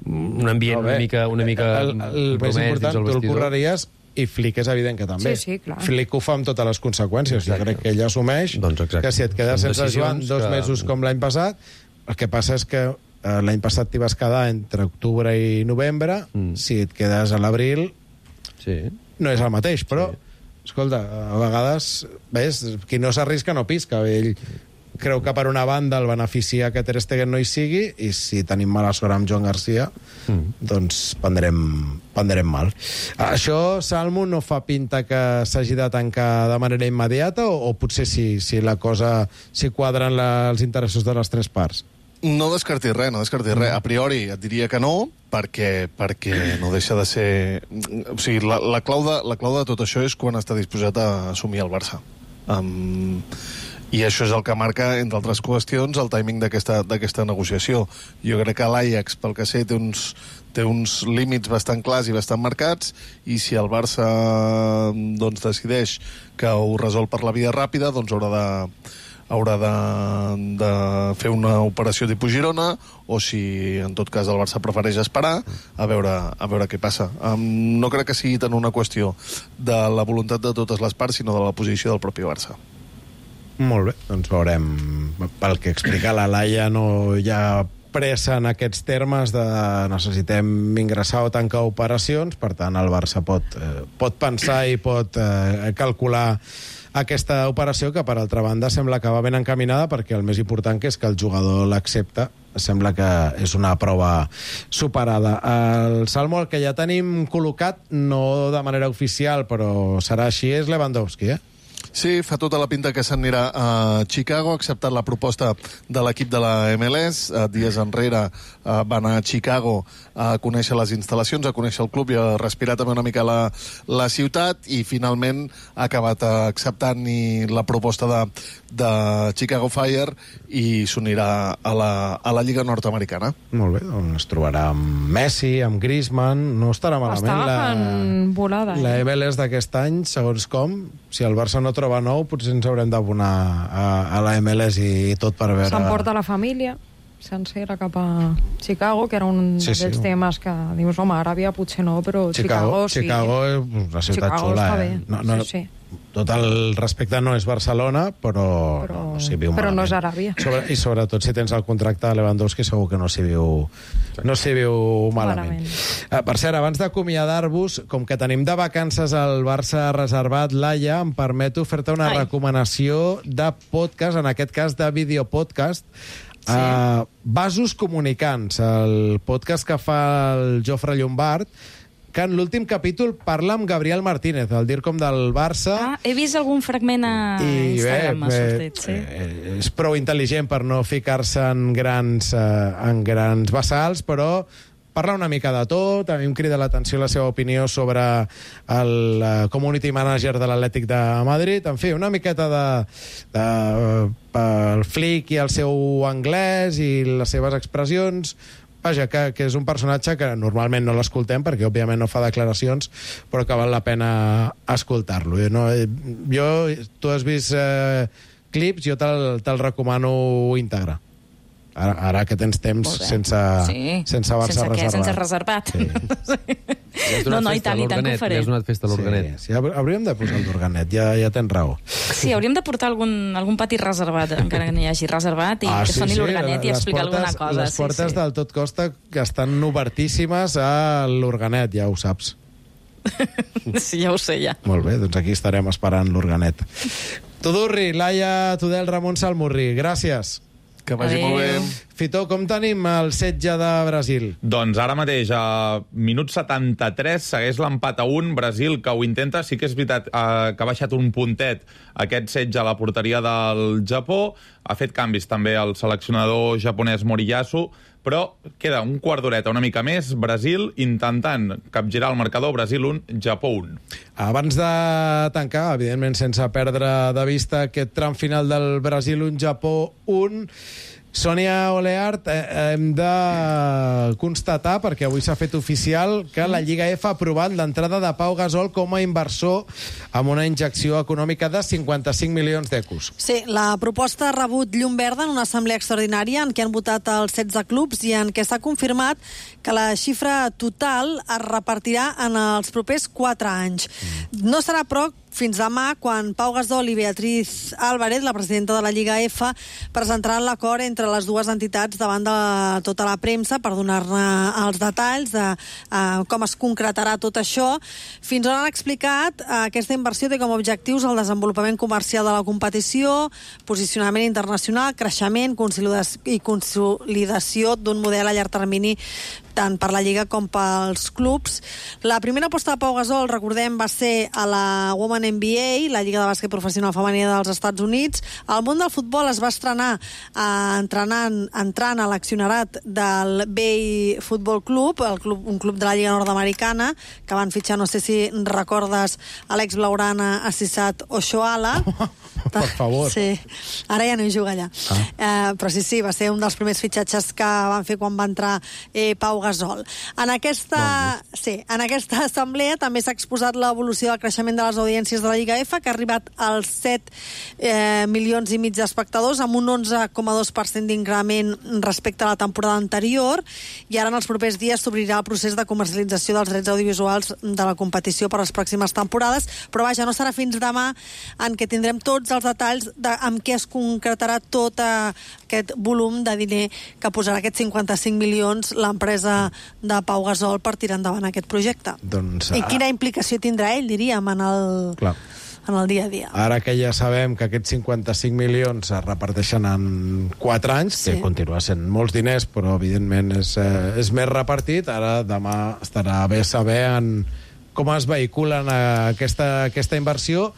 un ambient no, una mica, una mica el, el, el més important, tu el correries i Flick és evident que també. Sí, sí, clar. Flick ho fa amb totes les conseqüències. Exacte. Jo crec que ell assumeix doncs que si et quedes Són sense Joan dos que... mesos com l'any passat, el que passa és que eh, l'any passat t'hi vas quedar entre octubre i novembre, mm. si et quedes a l'abril sí. no és el mateix, però sí. escolta, a vegades ves, qui no s'arrisca no pisca. Ell creu que per una banda el beneficia que Ter Stegen no hi sigui i si tenim mala sort amb Joan Garcia mm. doncs prendrem, prendrem mal. Això, Salmo, no fa pinta que s'hagi de tancar de manera immediata o, o potser si, si la cosa si quadren la, els interessos de les tres parts? No descartis res, no descartis res. A priori et diria que no, perquè, perquè no deixa de ser... O sigui, la, la, clau de, la clau de tot això és quan està disposat a assumir el Barça. Um, I això és el que marca, entre altres qüestions, el timing d'aquesta negociació. Jo crec que l'Ajax, pel que sé, té uns, té uns límits bastant clars i bastant marcats, i si el Barça doncs, decideix que ho resol per la via ràpida, doncs haurà de... haurà de, de fer una operació tipus Girona, o si en tot cas el Barça prefereix esperar a veure, a veure què passa. Um, no crec que sigui tant una qüestió de la voluntat de totes les parts, sinó de la posició del propi Barça. Molt bé, doncs veurem. Pel que explica la Laia, no hi ha pressa en aquests termes de necessitem ingressar o tancar operacions, per tant el Barça pot, eh, pot pensar i pot eh, calcular aquesta operació, que per altra banda sembla que va ben encaminada, perquè el més important que és que el jugador l'accepta, sembla que és una prova superada. El Salmo, el que ja tenim col·locat, no de manera oficial, però serà així, és Lewandowski, eh? Sí, fa tota la pinta que s'anirà a Chicago, ha acceptat la proposta de l'equip de la M L S. Dies enrere va anar a Chicago a conèixer les instal·lacions, a conèixer el club i a respirar també una mica la, la ciutat, i finalment ha acabat acceptant la proposta de, de Chicago Fire i s'unirà a, la, a la Lliga Nord-Americana. Molt bé, doncs es trobarà amb Messi, amb Griezmann, no estarà malament. Està agafant volada. La M L S d'aquest any, segons com, si el Barça no troba nou, potser ens haurem d'abonar a, a la M L S i, i tot per veure... S'emporta la família sencera cap a Chicago, que era un sí, d'aquells sí. temes que dius, home, Aràbia potser no, però Chicago, Chicago sí. Chicago és una ciutat Chicago xula, està eh? bé. No, no, sí, sí. Tot el respecte no és Barcelona, però, però no, no s'hi viu però malament. no és Aràbia. Sobre, I sobretot si tens el contracte de Lewandowski segur que no s'hi viu, no s'hi viu malament. malament. Uh, per cert, abans d'acomiadar-vos, com que tenim de vacances al Barça reservat, Laia, em permeto fer-te una Ai. recomanació de podcast, en aquest cas de videopodcast. Sí. Uh, Vasos Comunicants, el podcast que fa el Jofre Llombard, que en l'últim capítol parla amb Gabriel Martínez, el DIRCOM del Barça. Ah, he vist algun fragment a I Instagram, m'ha bé, sortit, sí. Eh, és prou intel·ligent per no ficar-se en grans, eh, en grans bassals, però parla una mica de tot. A mi em crida l'atenció la seva opinió sobre el uh, community manager de l'Atlètic de Madrid. En fi, una miqueta de, de uh, el Flick i el seu anglès i les seves expressions. Vaja, que, que és un personatge que normalment no l'escoltem perquè òbviament no fa declaracions, però que val la pena escoltar-lo. No, jo, tu has vist eh, clips, jo te'l te recomano íntegre. Ara, ara que tens temps sense, sí. sense haver-se sense reservat. Sense reservat. Sí. No, no, i tant, i tant que ho faré. Ja has donat festa a l'organet. Sí, sí, hauríem de posar el d'organet, ja, ja tens raó. Sí, hauríem de portar algun, algun pati reservat, encara que n'hi hagi reservat, i ah, que sí, soni sí, l'organet i explicar portes, alguna cosa. Les portes sí, sí. del Tot Costa que estan obertíssimes a l'organet, ja ho saps. Sí, ja ho sé, ja. Molt bé, doncs aquí estarem esperant l'organet. Tudurri, Laia Tudel, Ramon Salmurri, gràcies. Que vagi Adeu. molt bé. Fitó, com tenim el setge de Brasil? Doncs ara mateix, a minut setanta-tres, segueix l'empat a un. Brasil, que ho intenta, sí que és veritat eh, que ha baixat un puntet aquest setge a la porteria del Japó. Ha fet canvis també el seleccionador japonès Moriyasu, però queda un quart d'horeta, una mica més. Brasil intentant capgirar el marcador. Brasil un, Japó un. Abans de tancar, evidentment sense perdre de vista aquest tram final del Brasil un, Japó un, Sònia Oleart, eh, hem de constatar, perquè avui s'ha fet oficial, que la Lliga F ha aprovat l'entrada de Pau Gasol com a inversor amb una injecció econòmica de cinquanta-cinc milions d'euros. Sí, la proposta ha rebut llum verda en una assemblea extraordinària en què han votat els setze clubs i en què s'ha confirmat que la xifra total es repartirà en els propers quatre anys. No serà, però, fins demà, quan Pau Gasol i Beatriz Álvarez, la presidenta de la Lliga F, presentaran l'acord entre les dues entitats davant de tota la premsa per donar-ne els detalls de uh, com es concretarà tot això. Fins on han explicat, uh, aquesta inversió té com a objectius el desenvolupament comercial de la competició, posicionament internacional, creixement i consolidació d'un model a llarg termini tant per la Lliga com pels clubs. La primera aposta de Pau Gasol, recordem, va ser a la Women N B A, la Lliga de Bàsquet Professional Femenina dels Estats Units. El món del futbol es va estrenar eh, entrenant, entrant a l'accionarat del Bay Football Club, el club, un club de la Lliga Nord-Americana, que van fitxar, no sé si recordes, Alex Blaurana, Assisat Oshoala. Per favor. Sí, ara ja no hi juga allà. Ah. Eh, però sí, sí, va ser un dels primers fitxatges que van fer quan va entrar eh, Pau Gasol. En aquesta, sí, en aquesta assemblea també s'ha exposat l'evolució del creixement de les audiències de la Lliga F, que ha arribat als set eh, milions i mig d'espectadors, amb un onze coma dos per cent d'increment respecte a la temporada anterior, i ara en els propers dies s'obrirà el procés de comercialització dels drets audiovisuals de la competició per les pròximes temporades, però vaja, no serà fins demà en què tindrem tots els detalls de amb què es concretarà tot aquest volum de diner que posarà aquests cinquanta-cinc milions l'empresa de Pau Gasol per tirar endavant aquest projecte. Doncs, I quina implicació tindrà ell, diríem, en el, clar. en el dia a dia. Ara que ja sabem que aquests cinquanta-cinc milions es reparteixen en quatre anys, sí. que continua sent molts diners, però evidentment és, eh, és més repartit, ara demà estarà bé saber en com es vehiculen aquesta, aquesta inversió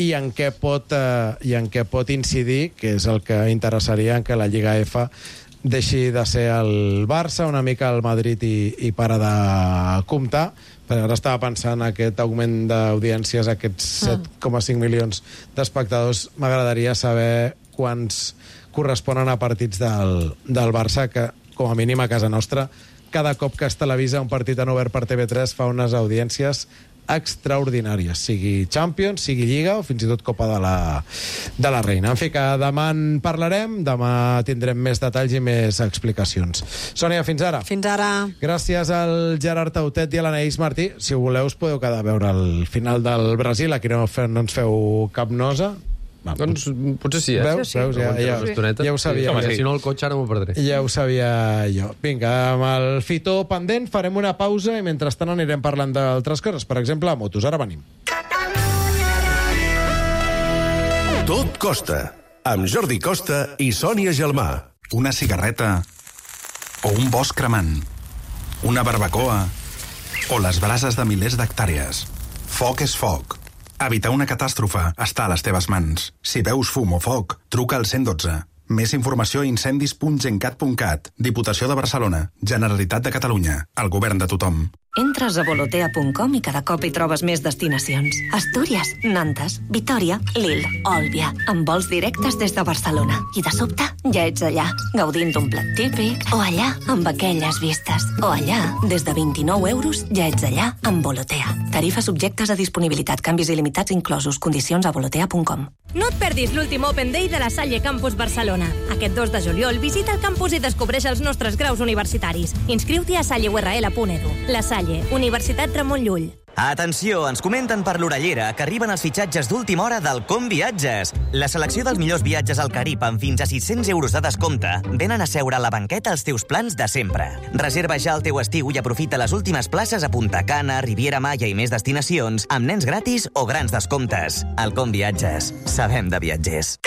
i en què pot, eh, i en què pot incidir, que és el que interessaria en que la Lliga F deixi de ser el Barça, una mica el Madrid i, i para de comptar. Però ara estava pensant aquest augment d'audiències, aquests set coma cinc milions d'espectadors. M'agradaria saber quants corresponen a partits del, del Barça, que com a mínim a casa nostra cada cop que es televisa un partit en obert per T V tres fa unes audiències extraordinàries, sigui Champions, sigui Lliga o fins i tot Copa de la, de la Reina. En fi, que demà en parlarem, demà tindrem més detalls i més explicacions. Sònia, fins ara. Fins ara. Gràcies al Gerard Tautet i a l'Anaïs Martí. Si ho voleu, us podeu quedar a veure el final del Brasil. Aquí no, no ens feu cap nosa. Va, doncs potser sí, eh? Veus? Sí, Veus? Ja, ja, ja, ja ho sabia. Sí, si no, el cotxe ara m'ho perdré. Ja ho sabia jo. Vinga, amb el Fitó pendent farem una pausa i mentrestant anirem parlant d'altres coses. Per exemple, a motos. Ara venim. Tot Costa, amb Jordi Costa i Sònia Gelmà. una cigarreta o un bosc cremant, una barbacoa o les brases de milers d'hectàrees. Foc és foc. Evitar una catàstrofe està a les teves mans. Si veus fum o foc, truca al cent dotze. Més informació a incendis punt gencat punt cat. Diputació de Barcelona. Generalitat de Catalunya. El govern de tothom. Entres a volotea punt com i cada cop hi trobes més destinacions. Astúries, Nantes, Vitòria, Lille, Òlbia, amb vols directes des de Barcelona. I de sobte ja ets allà, gaudint d'un plat típic, o allà, amb aquelles vistes, o allà, des de vint-i-nou euros, ja ets allà, amb Volotea. Tarifes subjectes a disponibilitat, canvis il·limitats inclosos, condicions a volotea punt com. No et perdis l'últim Open Day de la Salle Campus Barcelona. Aquest dos de juliol visita el campus i descobreix els nostres graus universitaris. Inscriu-t'hi a salle u erra ele punt edu. La Salle, Universitat Ramon Llull. Atenció, ens comenten per l'Orellera que arriben els fitxatges d'última hora del Com Viatges. La selecció dels millors viatges al Carib amb fins a sis-cents euros de descompte venen a seure a la banqueta els teus plans de sempre. Reserva ja el teu estiu i aprofita les últimes places a Punta Cana, Riviera Maya i més destinacions amb nens gratis o grans descomptes. El Com Viatges. Sabem de viatgers.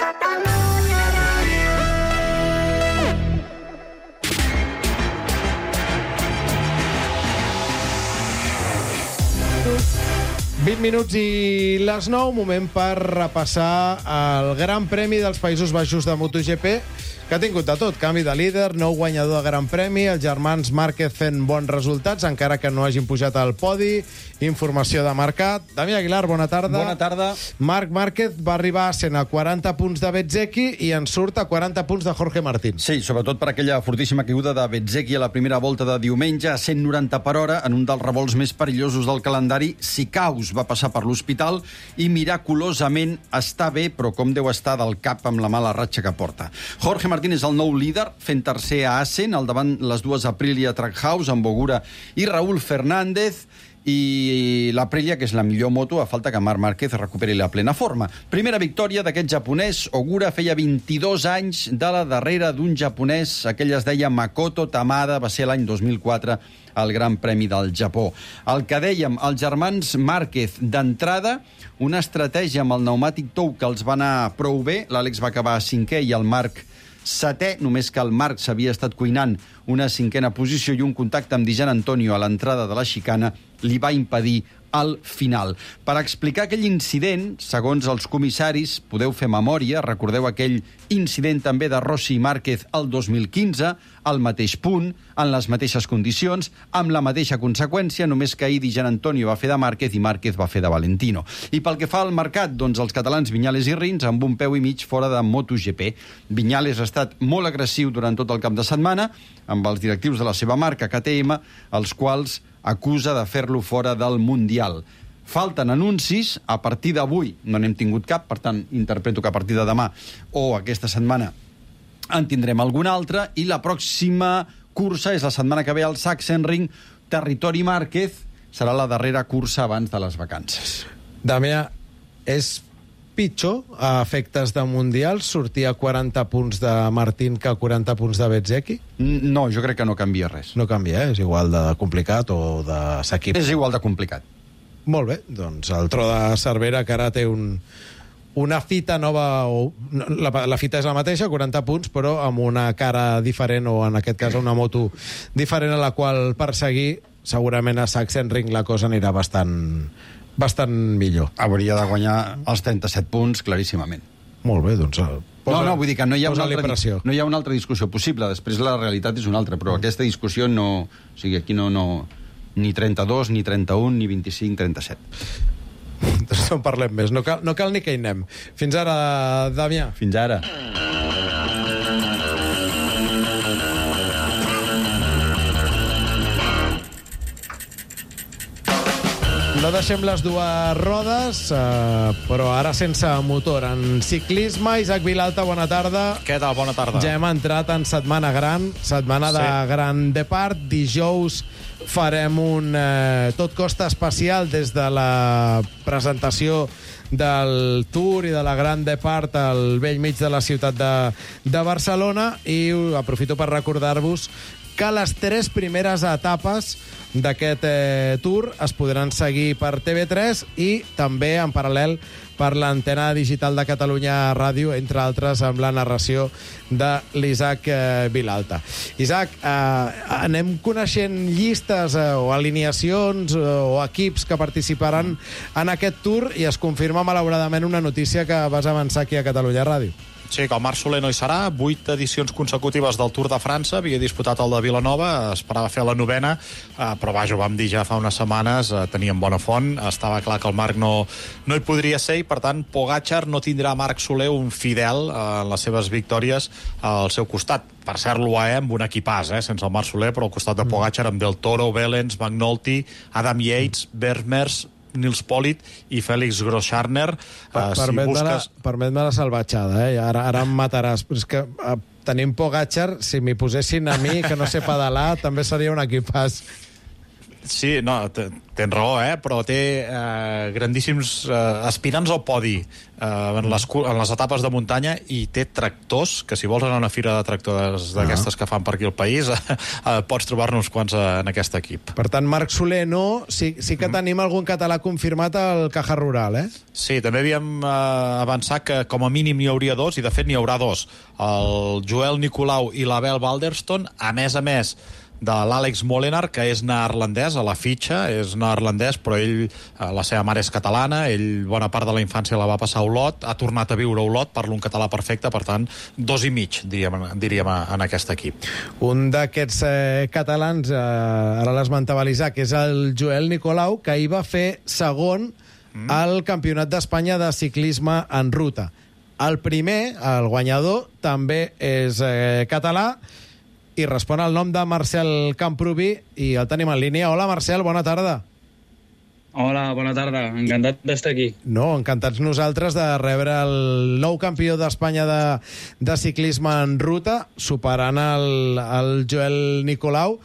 vint minuts i les nou, moment per repassar el Gran Premi dels Països Baixos de MotoGP, que ha tingut de tot. Canvi de líder, nou guanyador de Gran Premi, els germans Márquez fent bons resultats, encara que no hagin pujat al podi. Informació de mercat. Damià Aguilar, bona tarda. Bona tarda. Marc Márquez va arribar a cent a quaranta punts de Bezzecchi i en surt a quaranta punts de Jorge Martín. Sí, sobretot per aquella fortíssima caiguda de Bezzecchi a la primera volta de diumenge a cent noranta per hora en un dels revolts més perillosos del calendari. Sicaus va passar per l'hospital i miraculosament està bé, però com deu estar del cap amb la mala ratxa que porta. Jorge Martín és el nou líder, fent tercer a Assen, al davant les dues Aprilia Trackhouse, amb Bogura i Raúl Fernández, i l'Aprilia, que és la millor moto, a falta que Marc Márquez recuperi la plena forma. Primera victòria d'aquest japonès. Ogura feia vint-i-dos anys de la darrera d'un japonès, aquell es deia Makoto Tamada, va ser l'any dos mil quatre al Gran Premi del Japó. El que dèiem, els germans Márquez, d'entrada, una estratègia amb el pneumàtic tou que els va anar prou bé. L'Àlex va acabar cinquè i el Marc setè, només que el Marc s'havia estat cuinant una cinquena posició i un contacte amb Di Gianantonio a l'entrada de la xicana li va impedir al final. Per explicar aquell incident, segons els comissaris, podeu fer memòria, recordeu aquell incident també de Rossi i Márquez el dos mil quinze, al mateix punt, en les mateixes condicions, amb la mateixa conseqüència, només que ahir Di Gianantonio va fer de Márquez i Márquez va fer de Valentino. I pel que fa al mercat, doncs els catalans Viñales i Rins amb un peu i mig fora de MotoGP. Viñales ha estat molt agressiu durant tot el cap de setmana amb els directius de la seva marca, K T M, els quals acusa de fer-lo fora del Mundial. Falten anuncis, a partir d'avui no n'hem tingut cap, per tant, interpreto que a partir de demà o aquesta setmana en tindrem algun altre, i la pròxima cursa és la setmana que ve al Sachsenring, territori Márquez, serà la darrera cursa abans de les vacances. Damià, és pitjor a efectes de Mundial sortir a quaranta punts de Martín que a quaranta punts de Bezzecchi? No, jo crec que no canvia res. No canvia, eh? És igual de complicat o d'assequible? És igual de complicat. Molt bé, doncs el tro de Cervera, que ara té un, una fita nova, o la, la fita és la mateixa, quaranta punts, però amb una cara diferent, o en aquest cas una moto diferent a la qual perseguir. Segurament a Sachsenring la cosa anirà bastant, bastant millor. Hauria de guanyar els trenta-set punts claríssimament. Molt bé, doncs... Posa, no, no, vull dir que no hi, ha una altra, pressió. no hi ha una altra discussió possible. Després la realitat és una altra, però mm. aquesta discussió no... O sigui, aquí no... no ni trenta-dos, ni trenta-un, ni vint-i-cinc, trenta-set. Doncs no en parlem més. No cal, no cal ni que hi anem. Fins ara, Damià. Fins ara. No deixem les dues rodes, eh, però ara sense motor. En ciclisme, Isaac Vilalta, bona tarda. Què tal? Bona tarda. Ja hem entrat en setmana gran, setmana sí. de Gran Depart. Dijous farem un eh, tot costa especial des de la presentació del Tour i de la Gran Depart al vell mig de la ciutat de, de Barcelona, i aprofito per recordar-vos que les tres primeres etapes d'aquest eh, Tour es podran seguir per T V tres i també en paral·lel per l'antena digital de Catalunya Ràdio, entre altres amb la narració de l'Isaac eh, Vilalta. Isaac, eh, anem coneixent llistes eh, o alineacions eh, o equips que participaran en aquest Tour i es confirma malauradament una notícia que vas avançar aquí a Catalunya Ràdio. Sí, que el Marc Soler no hi serà. Vuit edicions consecutives del Tour de França. Havia disputat el de Vilanova, esperava fer la novena, eh, però vaja, ho vam dir ja fa unes setmanes, eh, teníem bona font, estava clar que el Marc no, no hi podria ser i, per tant, Pogačar no tindrà Marc Soler un fidel eh, en les seves victòries al seu costat. Per cert, l'U A E amb un equipàs, eh, sense el Marc Soler, però al costat de Pogačar amb Del Toro, Wellens, McNulty, Adam Yates, Vermeers, Nils Politt i Félix Groschartner. Per, uh, si Permet-me busques... la, permet-me la salvatjada, eh? Ara, ara em mataràs. Però és que uh, tenim Pogačar, si m'hi posessin a mi, que no sé pedalar, també seria un equipàs. Sí, no, tens raó, eh? Però té eh, grandíssims eh, aspirants al podi eh, en, les, en les etapes de muntanya i té tractors, que si vols anar a una fira de tractors d'aquestes que fan per aquí al país, eh, pots trobar-ne uns quants en aquest equip. Per tant, Marc Soler no, sí, sí que tenim algun català confirmat al Caja Rural, eh? Sí, també havíem eh, avançat que com a mínim n'hi hauria dos, i de fet n'hi haurà dos. El Joel Nicolau i l'Abel Balderston, a més a més de l'Àlex Molenaar, que és neerlandès, a la fitxa, és neerlandès, però ell, la seva mare és catalana, ell bona part de la infància la va passar a Olot, ha tornat a viure a Olot, parla un català perfecte, per tant, dos i mig, diríem, diríem en aquest equip. Un d'aquests eh, catalans, eh, ara l'esmentava l'Isaac, és el Joel Nicolau, que hi va fer segon mm. al Campionat d'Espanya de ciclisme en ruta. El primer, el guanyador, també és eh, català, i respon al nom de Marcel Camproví i el tenim en línia. Hola, Marcel, bona tarda. Hola, bona tarda. Encantat d'estar aquí. No, encantats nosaltres de rebre el nou campió d'Espanya de, de ciclisme en ruta, superant el, el Joel Nicolau.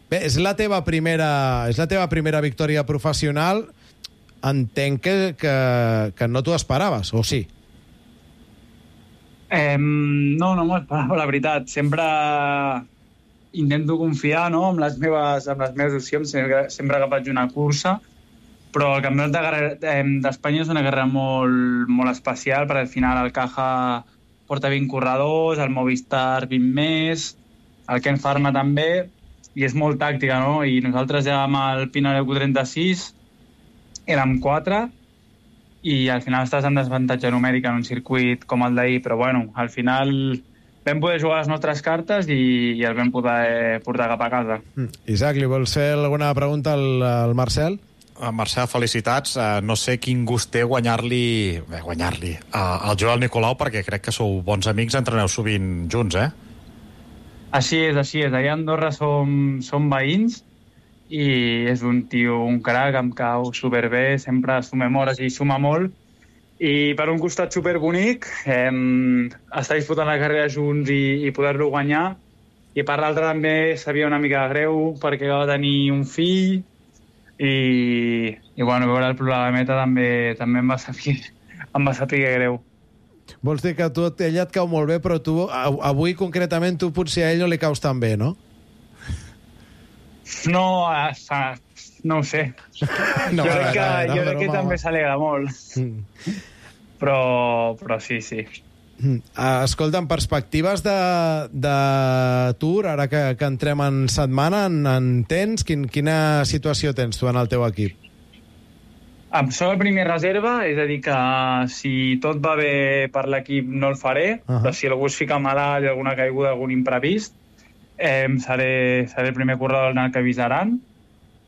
Bé, és la teva primera, és la teva primera victòria professional. Entenc que, que, que no t'ho esperaves, o sí? Eh, no, no m'ho esperava, la veritat. Sempre intento confiar, no?, amb les meves, amb les meves opcions, sempre, sempre que faig una cursa, però el Campionat d'Espanya és una carrera molt, molt especial, perquè al final el Caja porta vint corredors, el Movistar vint més, el Ken Pharma també, i és molt tàctica, no? I nosaltres ja amb el Pinarello trenta-sis érem quatre, i al final estàs en desavantatge numèrica en un circuit com el d'ahir, però bueno, al final vam poder jugar les nostres cartes i, i el vam poder portar cap a casa. Mm. Isaac, li vols fer alguna pregunta al, al Marcel? Uh, Marcel, felicitats. Uh, no sé quin gust té guanyar-li eh, guanyar-li uh, al Joel Nicolau, perquè crec que sou bons amics, entreneu sovint junts, eh? Així és, així és. Allà a Andorra som, som veïns, i és un tio, un crac, em cau superbé, sempre sumem hores i suma molt, i per un costat superbonic, eh, estar disputant la carrera junts i, i poder-lo guanyar, i per l'altre també sabia una mica greu perquè va tenir un fill, i, i bueno, veure el problemeta també, també em va saber, em va saber greu. Vols dir que tu, ella et cau molt bé, però tu, avui concretament, tu potser a ell no li caus tan bé, no? No, no ho sé. No, jo crec que, no, jo crec que també s'alegra molt. Mm. Però, però sí, sí. Mm. Escolta'm, perspectives de, de Tour, ara que, que entrem en setmana, en, en tens? Quin, quina situació tens tu en el teu equip? Em soc el primer reserva, és a dir que si tot va bé per l'equip no el faré, uh-huh. però si algú es fica malalt i alguna caiguda, algun imprevist, Eh, seré, seré el primer corredor en el que avisaran,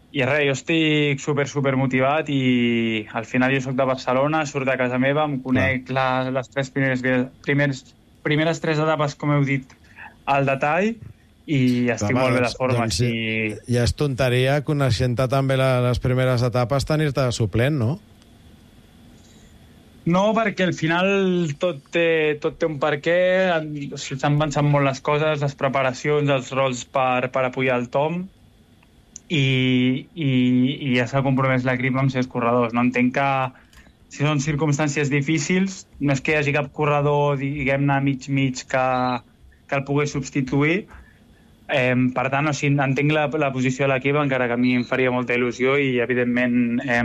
i res, jo estic super, super motivat, i al final jo soc de Barcelona, surt de casa meva, em conec la, les tres primeres, primers, primeres tres etapes, com heu dit, al detall, i estic Home, molt bé de forma. Doncs, i... Ja és tonteria, coneixent-te també la, les primeres etapes, tenir-te de suplent, no? No, perquè al final tot té, tot té un per què, s'han pensat molt les coses, les preparacions, els rols per, per apoyar el Tom, i, i, i ja s'ha compromès l'equip amb els corredors. No entenc que si són circumstàncies difícils, no és que hi hagi cap corredor, diguem-ne, mig-mig que, que el pugui substituir, Eh, per tant, o sigui, entenc la, la posició de l'equip, encara que a mi em faria molta il·lusió i, evidentment, eh,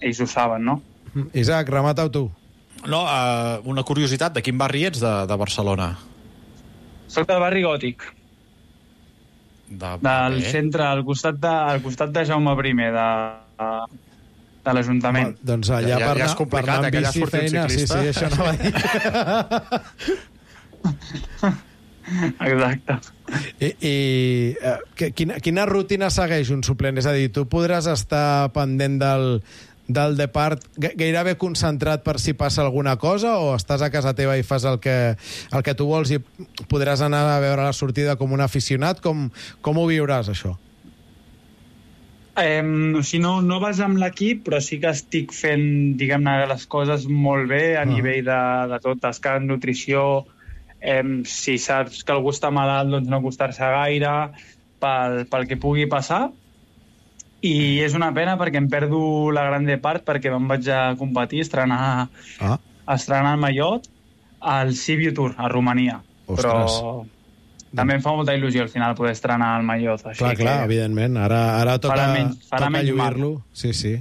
ells ho saben, no? Isaac, remata-ho tu. No, uh, una curiositat, de quin barri ets de, de Barcelona? Soc del barri Gòtic. De... Del Bé. centre, al costat de, al costat de Jaume I, de, de l'Ajuntament. Doncs allà Ja- ja- per, ja és anar- complicat, per anar eh, que amb allà bici surti un feina. Sí, ciclista. sí, això no va dir. Exacte. I, i eh, que- quina, quina rutina segueix un suplent? És a dir, tu podràs estar pendent del, del depart ga- gairebé concentrat per si passa alguna cosa, o estàs a casa teva i fas el que, el que tu vols i podràs anar a veure la sortida com un aficionat? Com, com ho viuràs, això? Eh, o sigui, no, no vas amb l'equip, però sí que estic fent, diguem-ne, les coses molt bé a Ah. nivell de, de tot, descans, nutrició. Eh, si saps que algú està malalt, doncs no acostar-se gaire pel, pel que pugui passar. I és una pena perquè em perdo la gran part, perquè me'n vaig a competir, estrenar, Ah. estrenar el mallot al Sibiu Tour, a Romania. Ostres. Però també em fa molta il·lusió al final poder estrenar el mallot. Així Clar, clar, que... evidentment. Ara, ara toca, Farà menys- farà toca menys mal. lluir-lo. Sí, sí.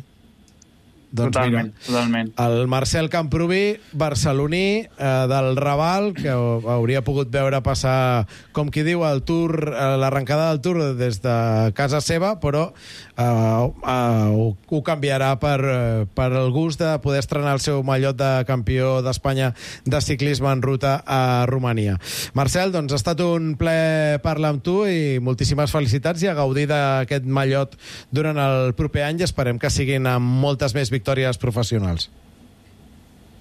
Doncs Totalment, mira, totalment. el Marcel Camproví, barceloní, eh, del Raval, que hauria pogut veure passar, com qui diu, el Tour, eh, l'arrencada del Tour des de casa seva, però eh, eh, ho, ho canviarà per, eh, per el gust de poder estrenar el seu mallot de campió d'Espanya de ciclisme en ruta a Romania. Marcel, doncs ha estat un ple parlar amb tu i moltíssimes felicitats i a gaudir d'aquest mallot durant el proper any i esperem que siguin amb moltes més victòries professionals.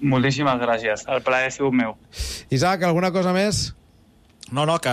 Moltíssimes gràcies. El plaer ha sigut meu. Isaac, alguna cosa més? No, no, que...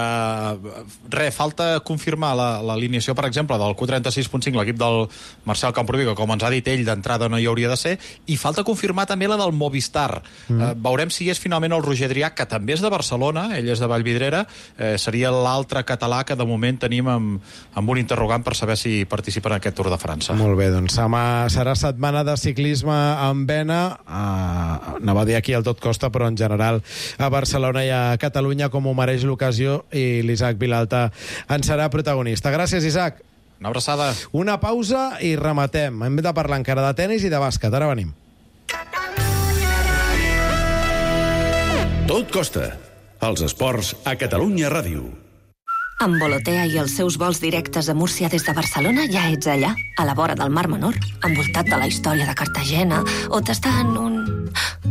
Re, falta confirmar la- l'alineació, per exemple, del Q trenta-sis punt cinc, l'equip del Marcel Camproví, que com ens ha dit ell, d'entrada no hi hauria de ser, i falta confirmar també la del Movistar. Mm. Eh, veurem si és finalment el Roger Drià, que també és de Barcelona, ell és de Vallvidrera, eh, seria l'altre català que de moment tenim amb, amb un interrogant per saber si participa en aquest Tour de França. Molt bé, doncs demà serà setmana de ciclisme en vena, uh, anava a dir aquí al Tot Costa, però en general a Barcelona i a Catalunya, com ho mereix l'ocasió, i l'Isaac Vilalta en serà protagonista. Gràcies, Isaac. Una abraçada. Una pausa i rematem. Hem de parlar encara de tenis i de bàsquet. Ara venim. Tot costa. Els esports a Catalunya Ràdio. Amb Volotea i els seus vols directes a Múrcia des de Barcelona ja ets allà, a la vora del Mar Menor, envoltat de la història de Cartagena, o t'està en un...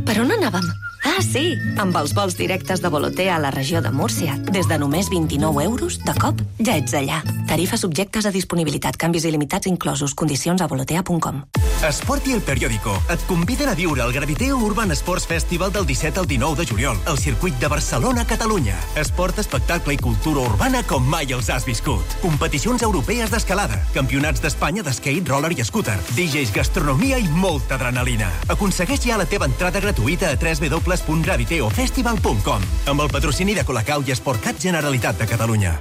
Per on anàvem? Ah, sí! Amb els vols directes de Volotea a la regió de Múrcia, des de només vint-i-nou euros, de cop, ja ets allà. Tarifes subjectes a disponibilitat, canvis il·limitats inclosos, condicions a volotea punt com. Esport i El Periódico et conviden a viure el Graviteo Urban Sports Festival del disset al dinou de juliol, al circuit de Barcelona-Catalunya. Esport, espectacle i cultura urbana com mai els has viscut. Competicions europees d'escalada, campionats d'Espanya d'skate, roller i scooter, D Js, gastronomia i molta adrenalina. Aconsegueix ja la teva entrada gratuïta a w w w punt graviteo festival punt com amb el patrocini de Colacau i Esportcat Generalitat de Catalunya.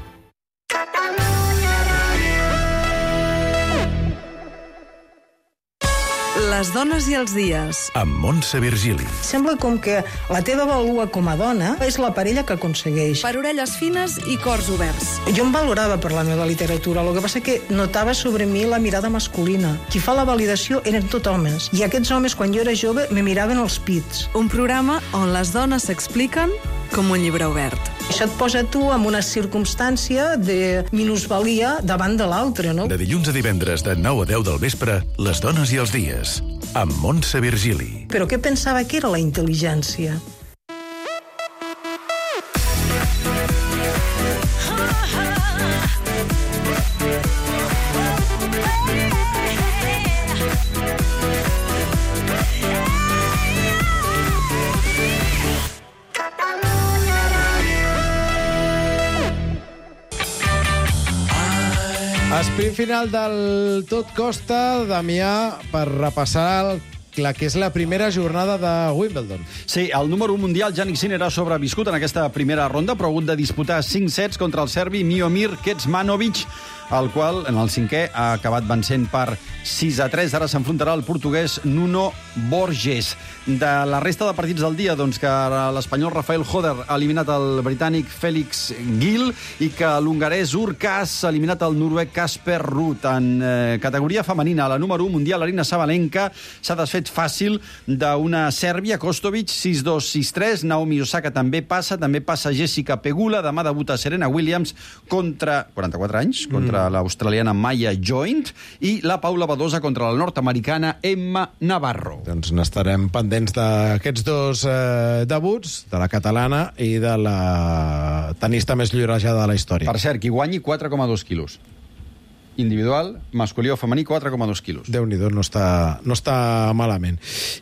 Les dones i els dies. Amb Montse Virgili. Sembla com que la teva valua com a dona és la parella que aconsegueix. Per orelles fines i cors oberts. Jo em valorava per la meva literatura, el que passa que notava sobre mi la mirada masculina. Qui fa la validació eren tot homes, i aquests homes, quan jo era jove, me miraven els pits. Un programa on les dones s'expliquen com un llibre obert. Això et posa tu en una circumstància de minusvalia davant de l'altre, no? De dilluns a divendres de nou a deu del vespre, Les dones i els dies, amb Montse Virgili. Però què pensava que era la intel·ligència? Sprint final del Tot Costa, Damià, per repassar el la que és la primera jornada de Wimbledon. Sí, el número un mundial, Jannik Sinner, ha sobreviscut en aquesta primera ronda, però ha hagut de disputar cinc sets contra el serbi Miomir Kecmanovic el qual, en el cinquè, ha acabat vencent per sis a tres. Ara s'enfrontarà el portuguès Nuno Borges. De la resta de partits del dia, doncs que l'espanyol Rafael Hoder ha eliminat el britànic Félix Gil i que l'hongarès Urkas ha eliminat el noruec Kasper Ruud. En eh, categoria femenina, la número u mundial, Arina Sabalenka, s'ha desfet fàcil d'una Sèrbia, Kostovic, sis dos sis tres. Naomi Osaka també passa, també passa Jessica Pegula. Demà debuta Serena Williams contra, quaranta-quatre anys, contra mm. l'australiana Maya Joint, i la Paula Badosa contra la nord-americana Emma Navarro. Doncs n'estarem pendents d'aquests dos eh, debuts, de la catalana i de la tenista més llorejada de la història. Per cert, qui guanyi quatre coma dos quilos. Individual, masculí o femení, quatre coma dos quilos. Déu-n'hi-do, no està, no està malament.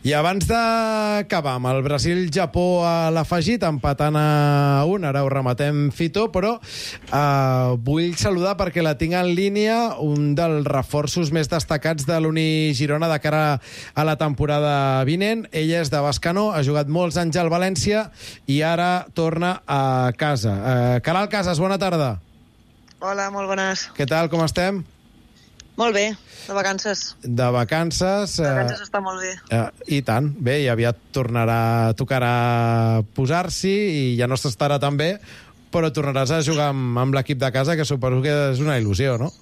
I abans d'acabar amb el Brasil-Japó a l'afegit, empatant a un, ara ho rematem, Fito, però eh, vull saludar perquè la tinc en línia un dels reforços més destacats de l'Uni Girona de cara a la temporada vinent. Ella és de Bescanó, ha jugat molts anys al València i ara torna a casa. Eh, Caral Casas, bona tarda. Hola, molt bones. Què tal, com estem? Molt bé, de vacances. De vacances... De vacances eh, està molt bé. Eh, I tant, bé, i aviat tornarà, tocarà posar-s'hi i ja no s'estarà tan bé, però tornaràs a jugar amb, amb l'equip de casa, que suposo que és una il·lusió, no?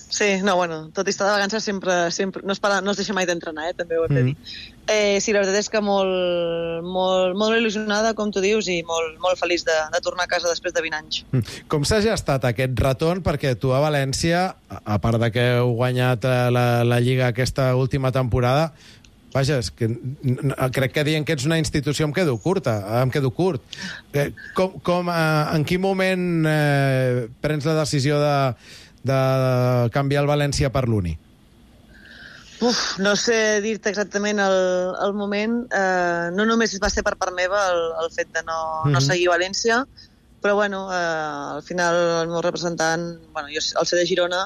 Sí, no, bueno, tot i estar de vacances sempre, sempre no, es para, no es deixa mai d'entrenar, eh, també ho hem de dir. Mm. Eh, sí, la veritat és que molt, molt, molt il·lusionada, com tu dius, i molt, molt feliç de, de tornar a casa després de vint anys. Mm. Com s'ha gestat aquest retorn? Perquè tu a València, a part de que heu guanyat la, la Lliga aquesta última temporada, vaja, és que crec que dient que ets una institució em quedo curta, em quedo curt. Eh, com, com, eh, en quin moment eh, prens la decisió de de canviar el València per l'Uni? Uf, no sé dir-te exactament el, el moment. Eh, no només va ser per part meva el, el fet de no, mm-hmm. no seguir València, però bueno, eh, al final el meu representant, bueno, jo, el C D Girona,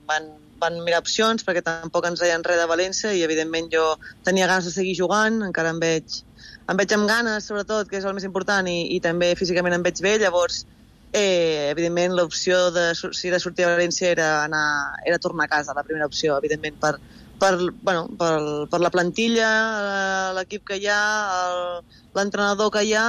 van, van mirar opcions perquè tampoc ens deien res de València i evidentment jo tenia ganes de seguir jugant, encara em veig, em veig amb ganes, sobretot, que és el més important, i, i també físicament em veig bé, llavors Eh, evidentment l'opció de, si de sortir a València era, anar, era tornar a casa, la primera opció, evidentment per, per, bueno, per, per la plantilla, l'equip que hi ha, l'entrenador que hi ha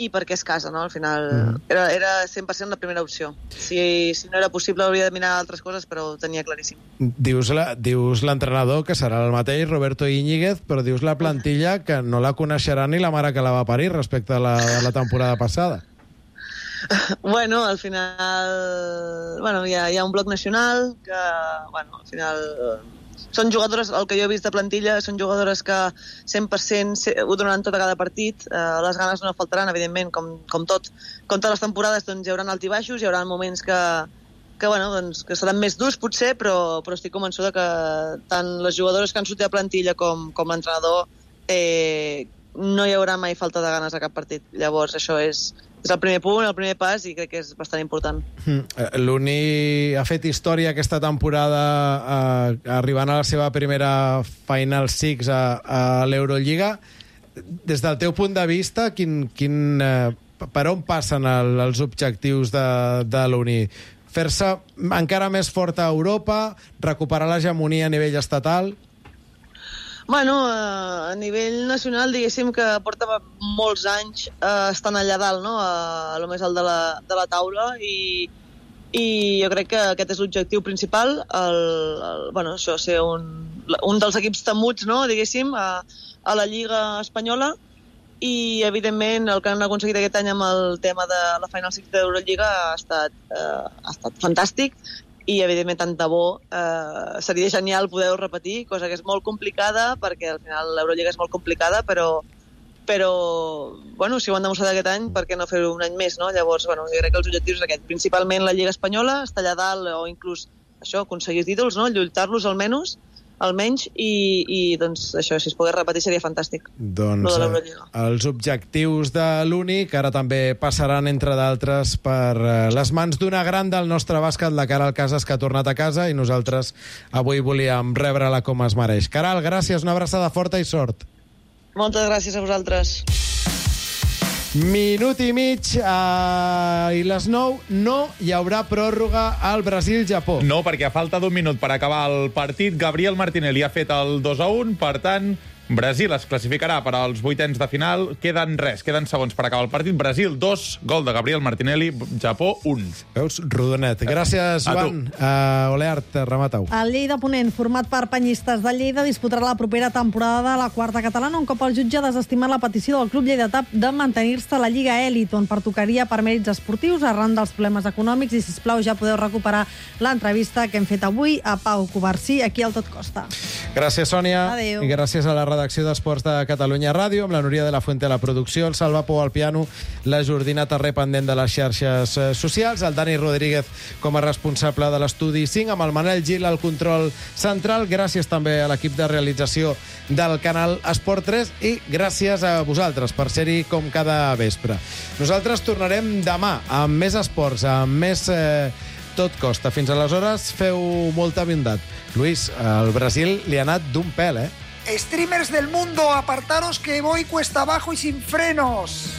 i perquè és casa, no? Al final mm. era, era cent per cent la primera opció. Si, si no era possible hauria de mirar altres coses, però ho tenia claríssim. Dius, la, dius l'entrenador, que serà el mateix, Roberto Íñiguez, però dius la plantilla que no la coneixerà ni la mare que la va parir respecte a la, a la temporada passada. Bueno, al final bueno, hi, ha, hi ha un bloc nacional que, bueno, al final són jugadores, el que jo he vist de plantilla, són jugadores que cent per cent ho donaran tot a cada partit, eh, les ganes no faltaran, evidentment, com, com tot. Com totes les temporades, doncs, hi haurà alts i baixos, hi haurà moments que, que, bueno, doncs, que seran més durs, potser, però, però estic convençuda que tant les jugadores que han sortit a plantilla com, com l'entrenador eh, no hi haurà mai falta de ganes a cap partit. Llavors, això és, és el primer punt, el primer pas, i crec que és bastant important. Mm. L'Uni ha fet història aquesta temporada eh, arribant a la seva primera Final Six a, a l'Eurolliga. Des del teu punt de vista, quin, quin, eh, per on passen el, els objectius de, de l'Uni? Fer-se encara més forta a Europa, recuperar l'hegemonia a nivell estatal? Bueno, eh, a nivell nacional, diguéssim que porta molts anys eh, estant allà dalt, no? A, a lo més alt de la, de la taula, i, i jo crec que aquest és l'objectiu principal, el, el, bueno, això, ser un, un dels equips temuts, no? Diguéssim, a, a la Lliga Espanyola, i evidentment el que han aconseguit aquest any amb el tema de la Final Six d'Eurolliga ha estat, eh, ha estat fantàstic, i evidentment tant de bo eh, seria genial poder-ho repetir, cosa que és molt complicada perquè al final l'Eurolliga és molt complicada, però, però bueno, si ho han demostrat aquest any, per què no fer-ho un any més, no? Llavors, bueno, jo crec que els objectius és aquest, principalment la Lliga Espanyola, estar allà dalt o inclús això, aconseguir títols, no? Lluitar-los almenys, almenys, i, i doncs això, si es pogués repetir seria fantàstic. Doncs eh, els objectius de l'Uni, que ara també passaran, entre d'altres, per eh, les mans d'una gran del nostre bàsquet, la Caral Casas, que ha tornat a casa, i nosaltres avui volíem rebre-la com es mereix. Caral, gràcies, una abraçada forta i sort. Moltes gràcies a vosaltres. Minut i mig uh, i les nou no hi haurà pròrroga al Brasil-Japó. No, perquè a falta d'un minut per acabar el partit, Gabriel Martinelli ha fet el dos a un, per tant, Brasil es classificarà per als vuitens de final. Queden res, queden segons per acabar el partit. Brasil, dos, gol de Gabriel Martinelli, Japó, un. Veus, rodonet. Gràcies, Joan. Uh, Oleart, remata-ho. El Lleida Ponent, format per penyistes de Lleida, disputarà la propera temporada de la quarta catalana, un cop el jutge ha desestimat la petició del club lleidatà de mantenir-se a la Lliga Elit, on pertocaria per mèrits esportius arran dels problemes econòmics. I, sisplau, ja podeu recuperar l'entrevista que hem fet avui a Pau Covarsí, aquí al Tot Costa. Gràcies, Sònia. Adéu. I gràcies a la redacció d'Esports de Catalunya Ràdio, amb la Núria de la Fuente a la producció, el Salva Pou al piano, la Jordina Terré pendent de les xarxes socials, el Dani Rodríguez com a responsable de l'estudi cinc, amb el Manel Gil al control central. Gràcies també a l'equip de realització del canal Esport tres i gràcies a vosaltres per ser-hi com cada vespre. Nosaltres tornarem demà amb més esports, amb més eh, Tot Costa. Fins aleshores, feu molta bondat. Luis, el Brasil li ha anat d'un pèl, eh? Streamers del mundo, apartaros que voy cuesta abajo y sin frenos.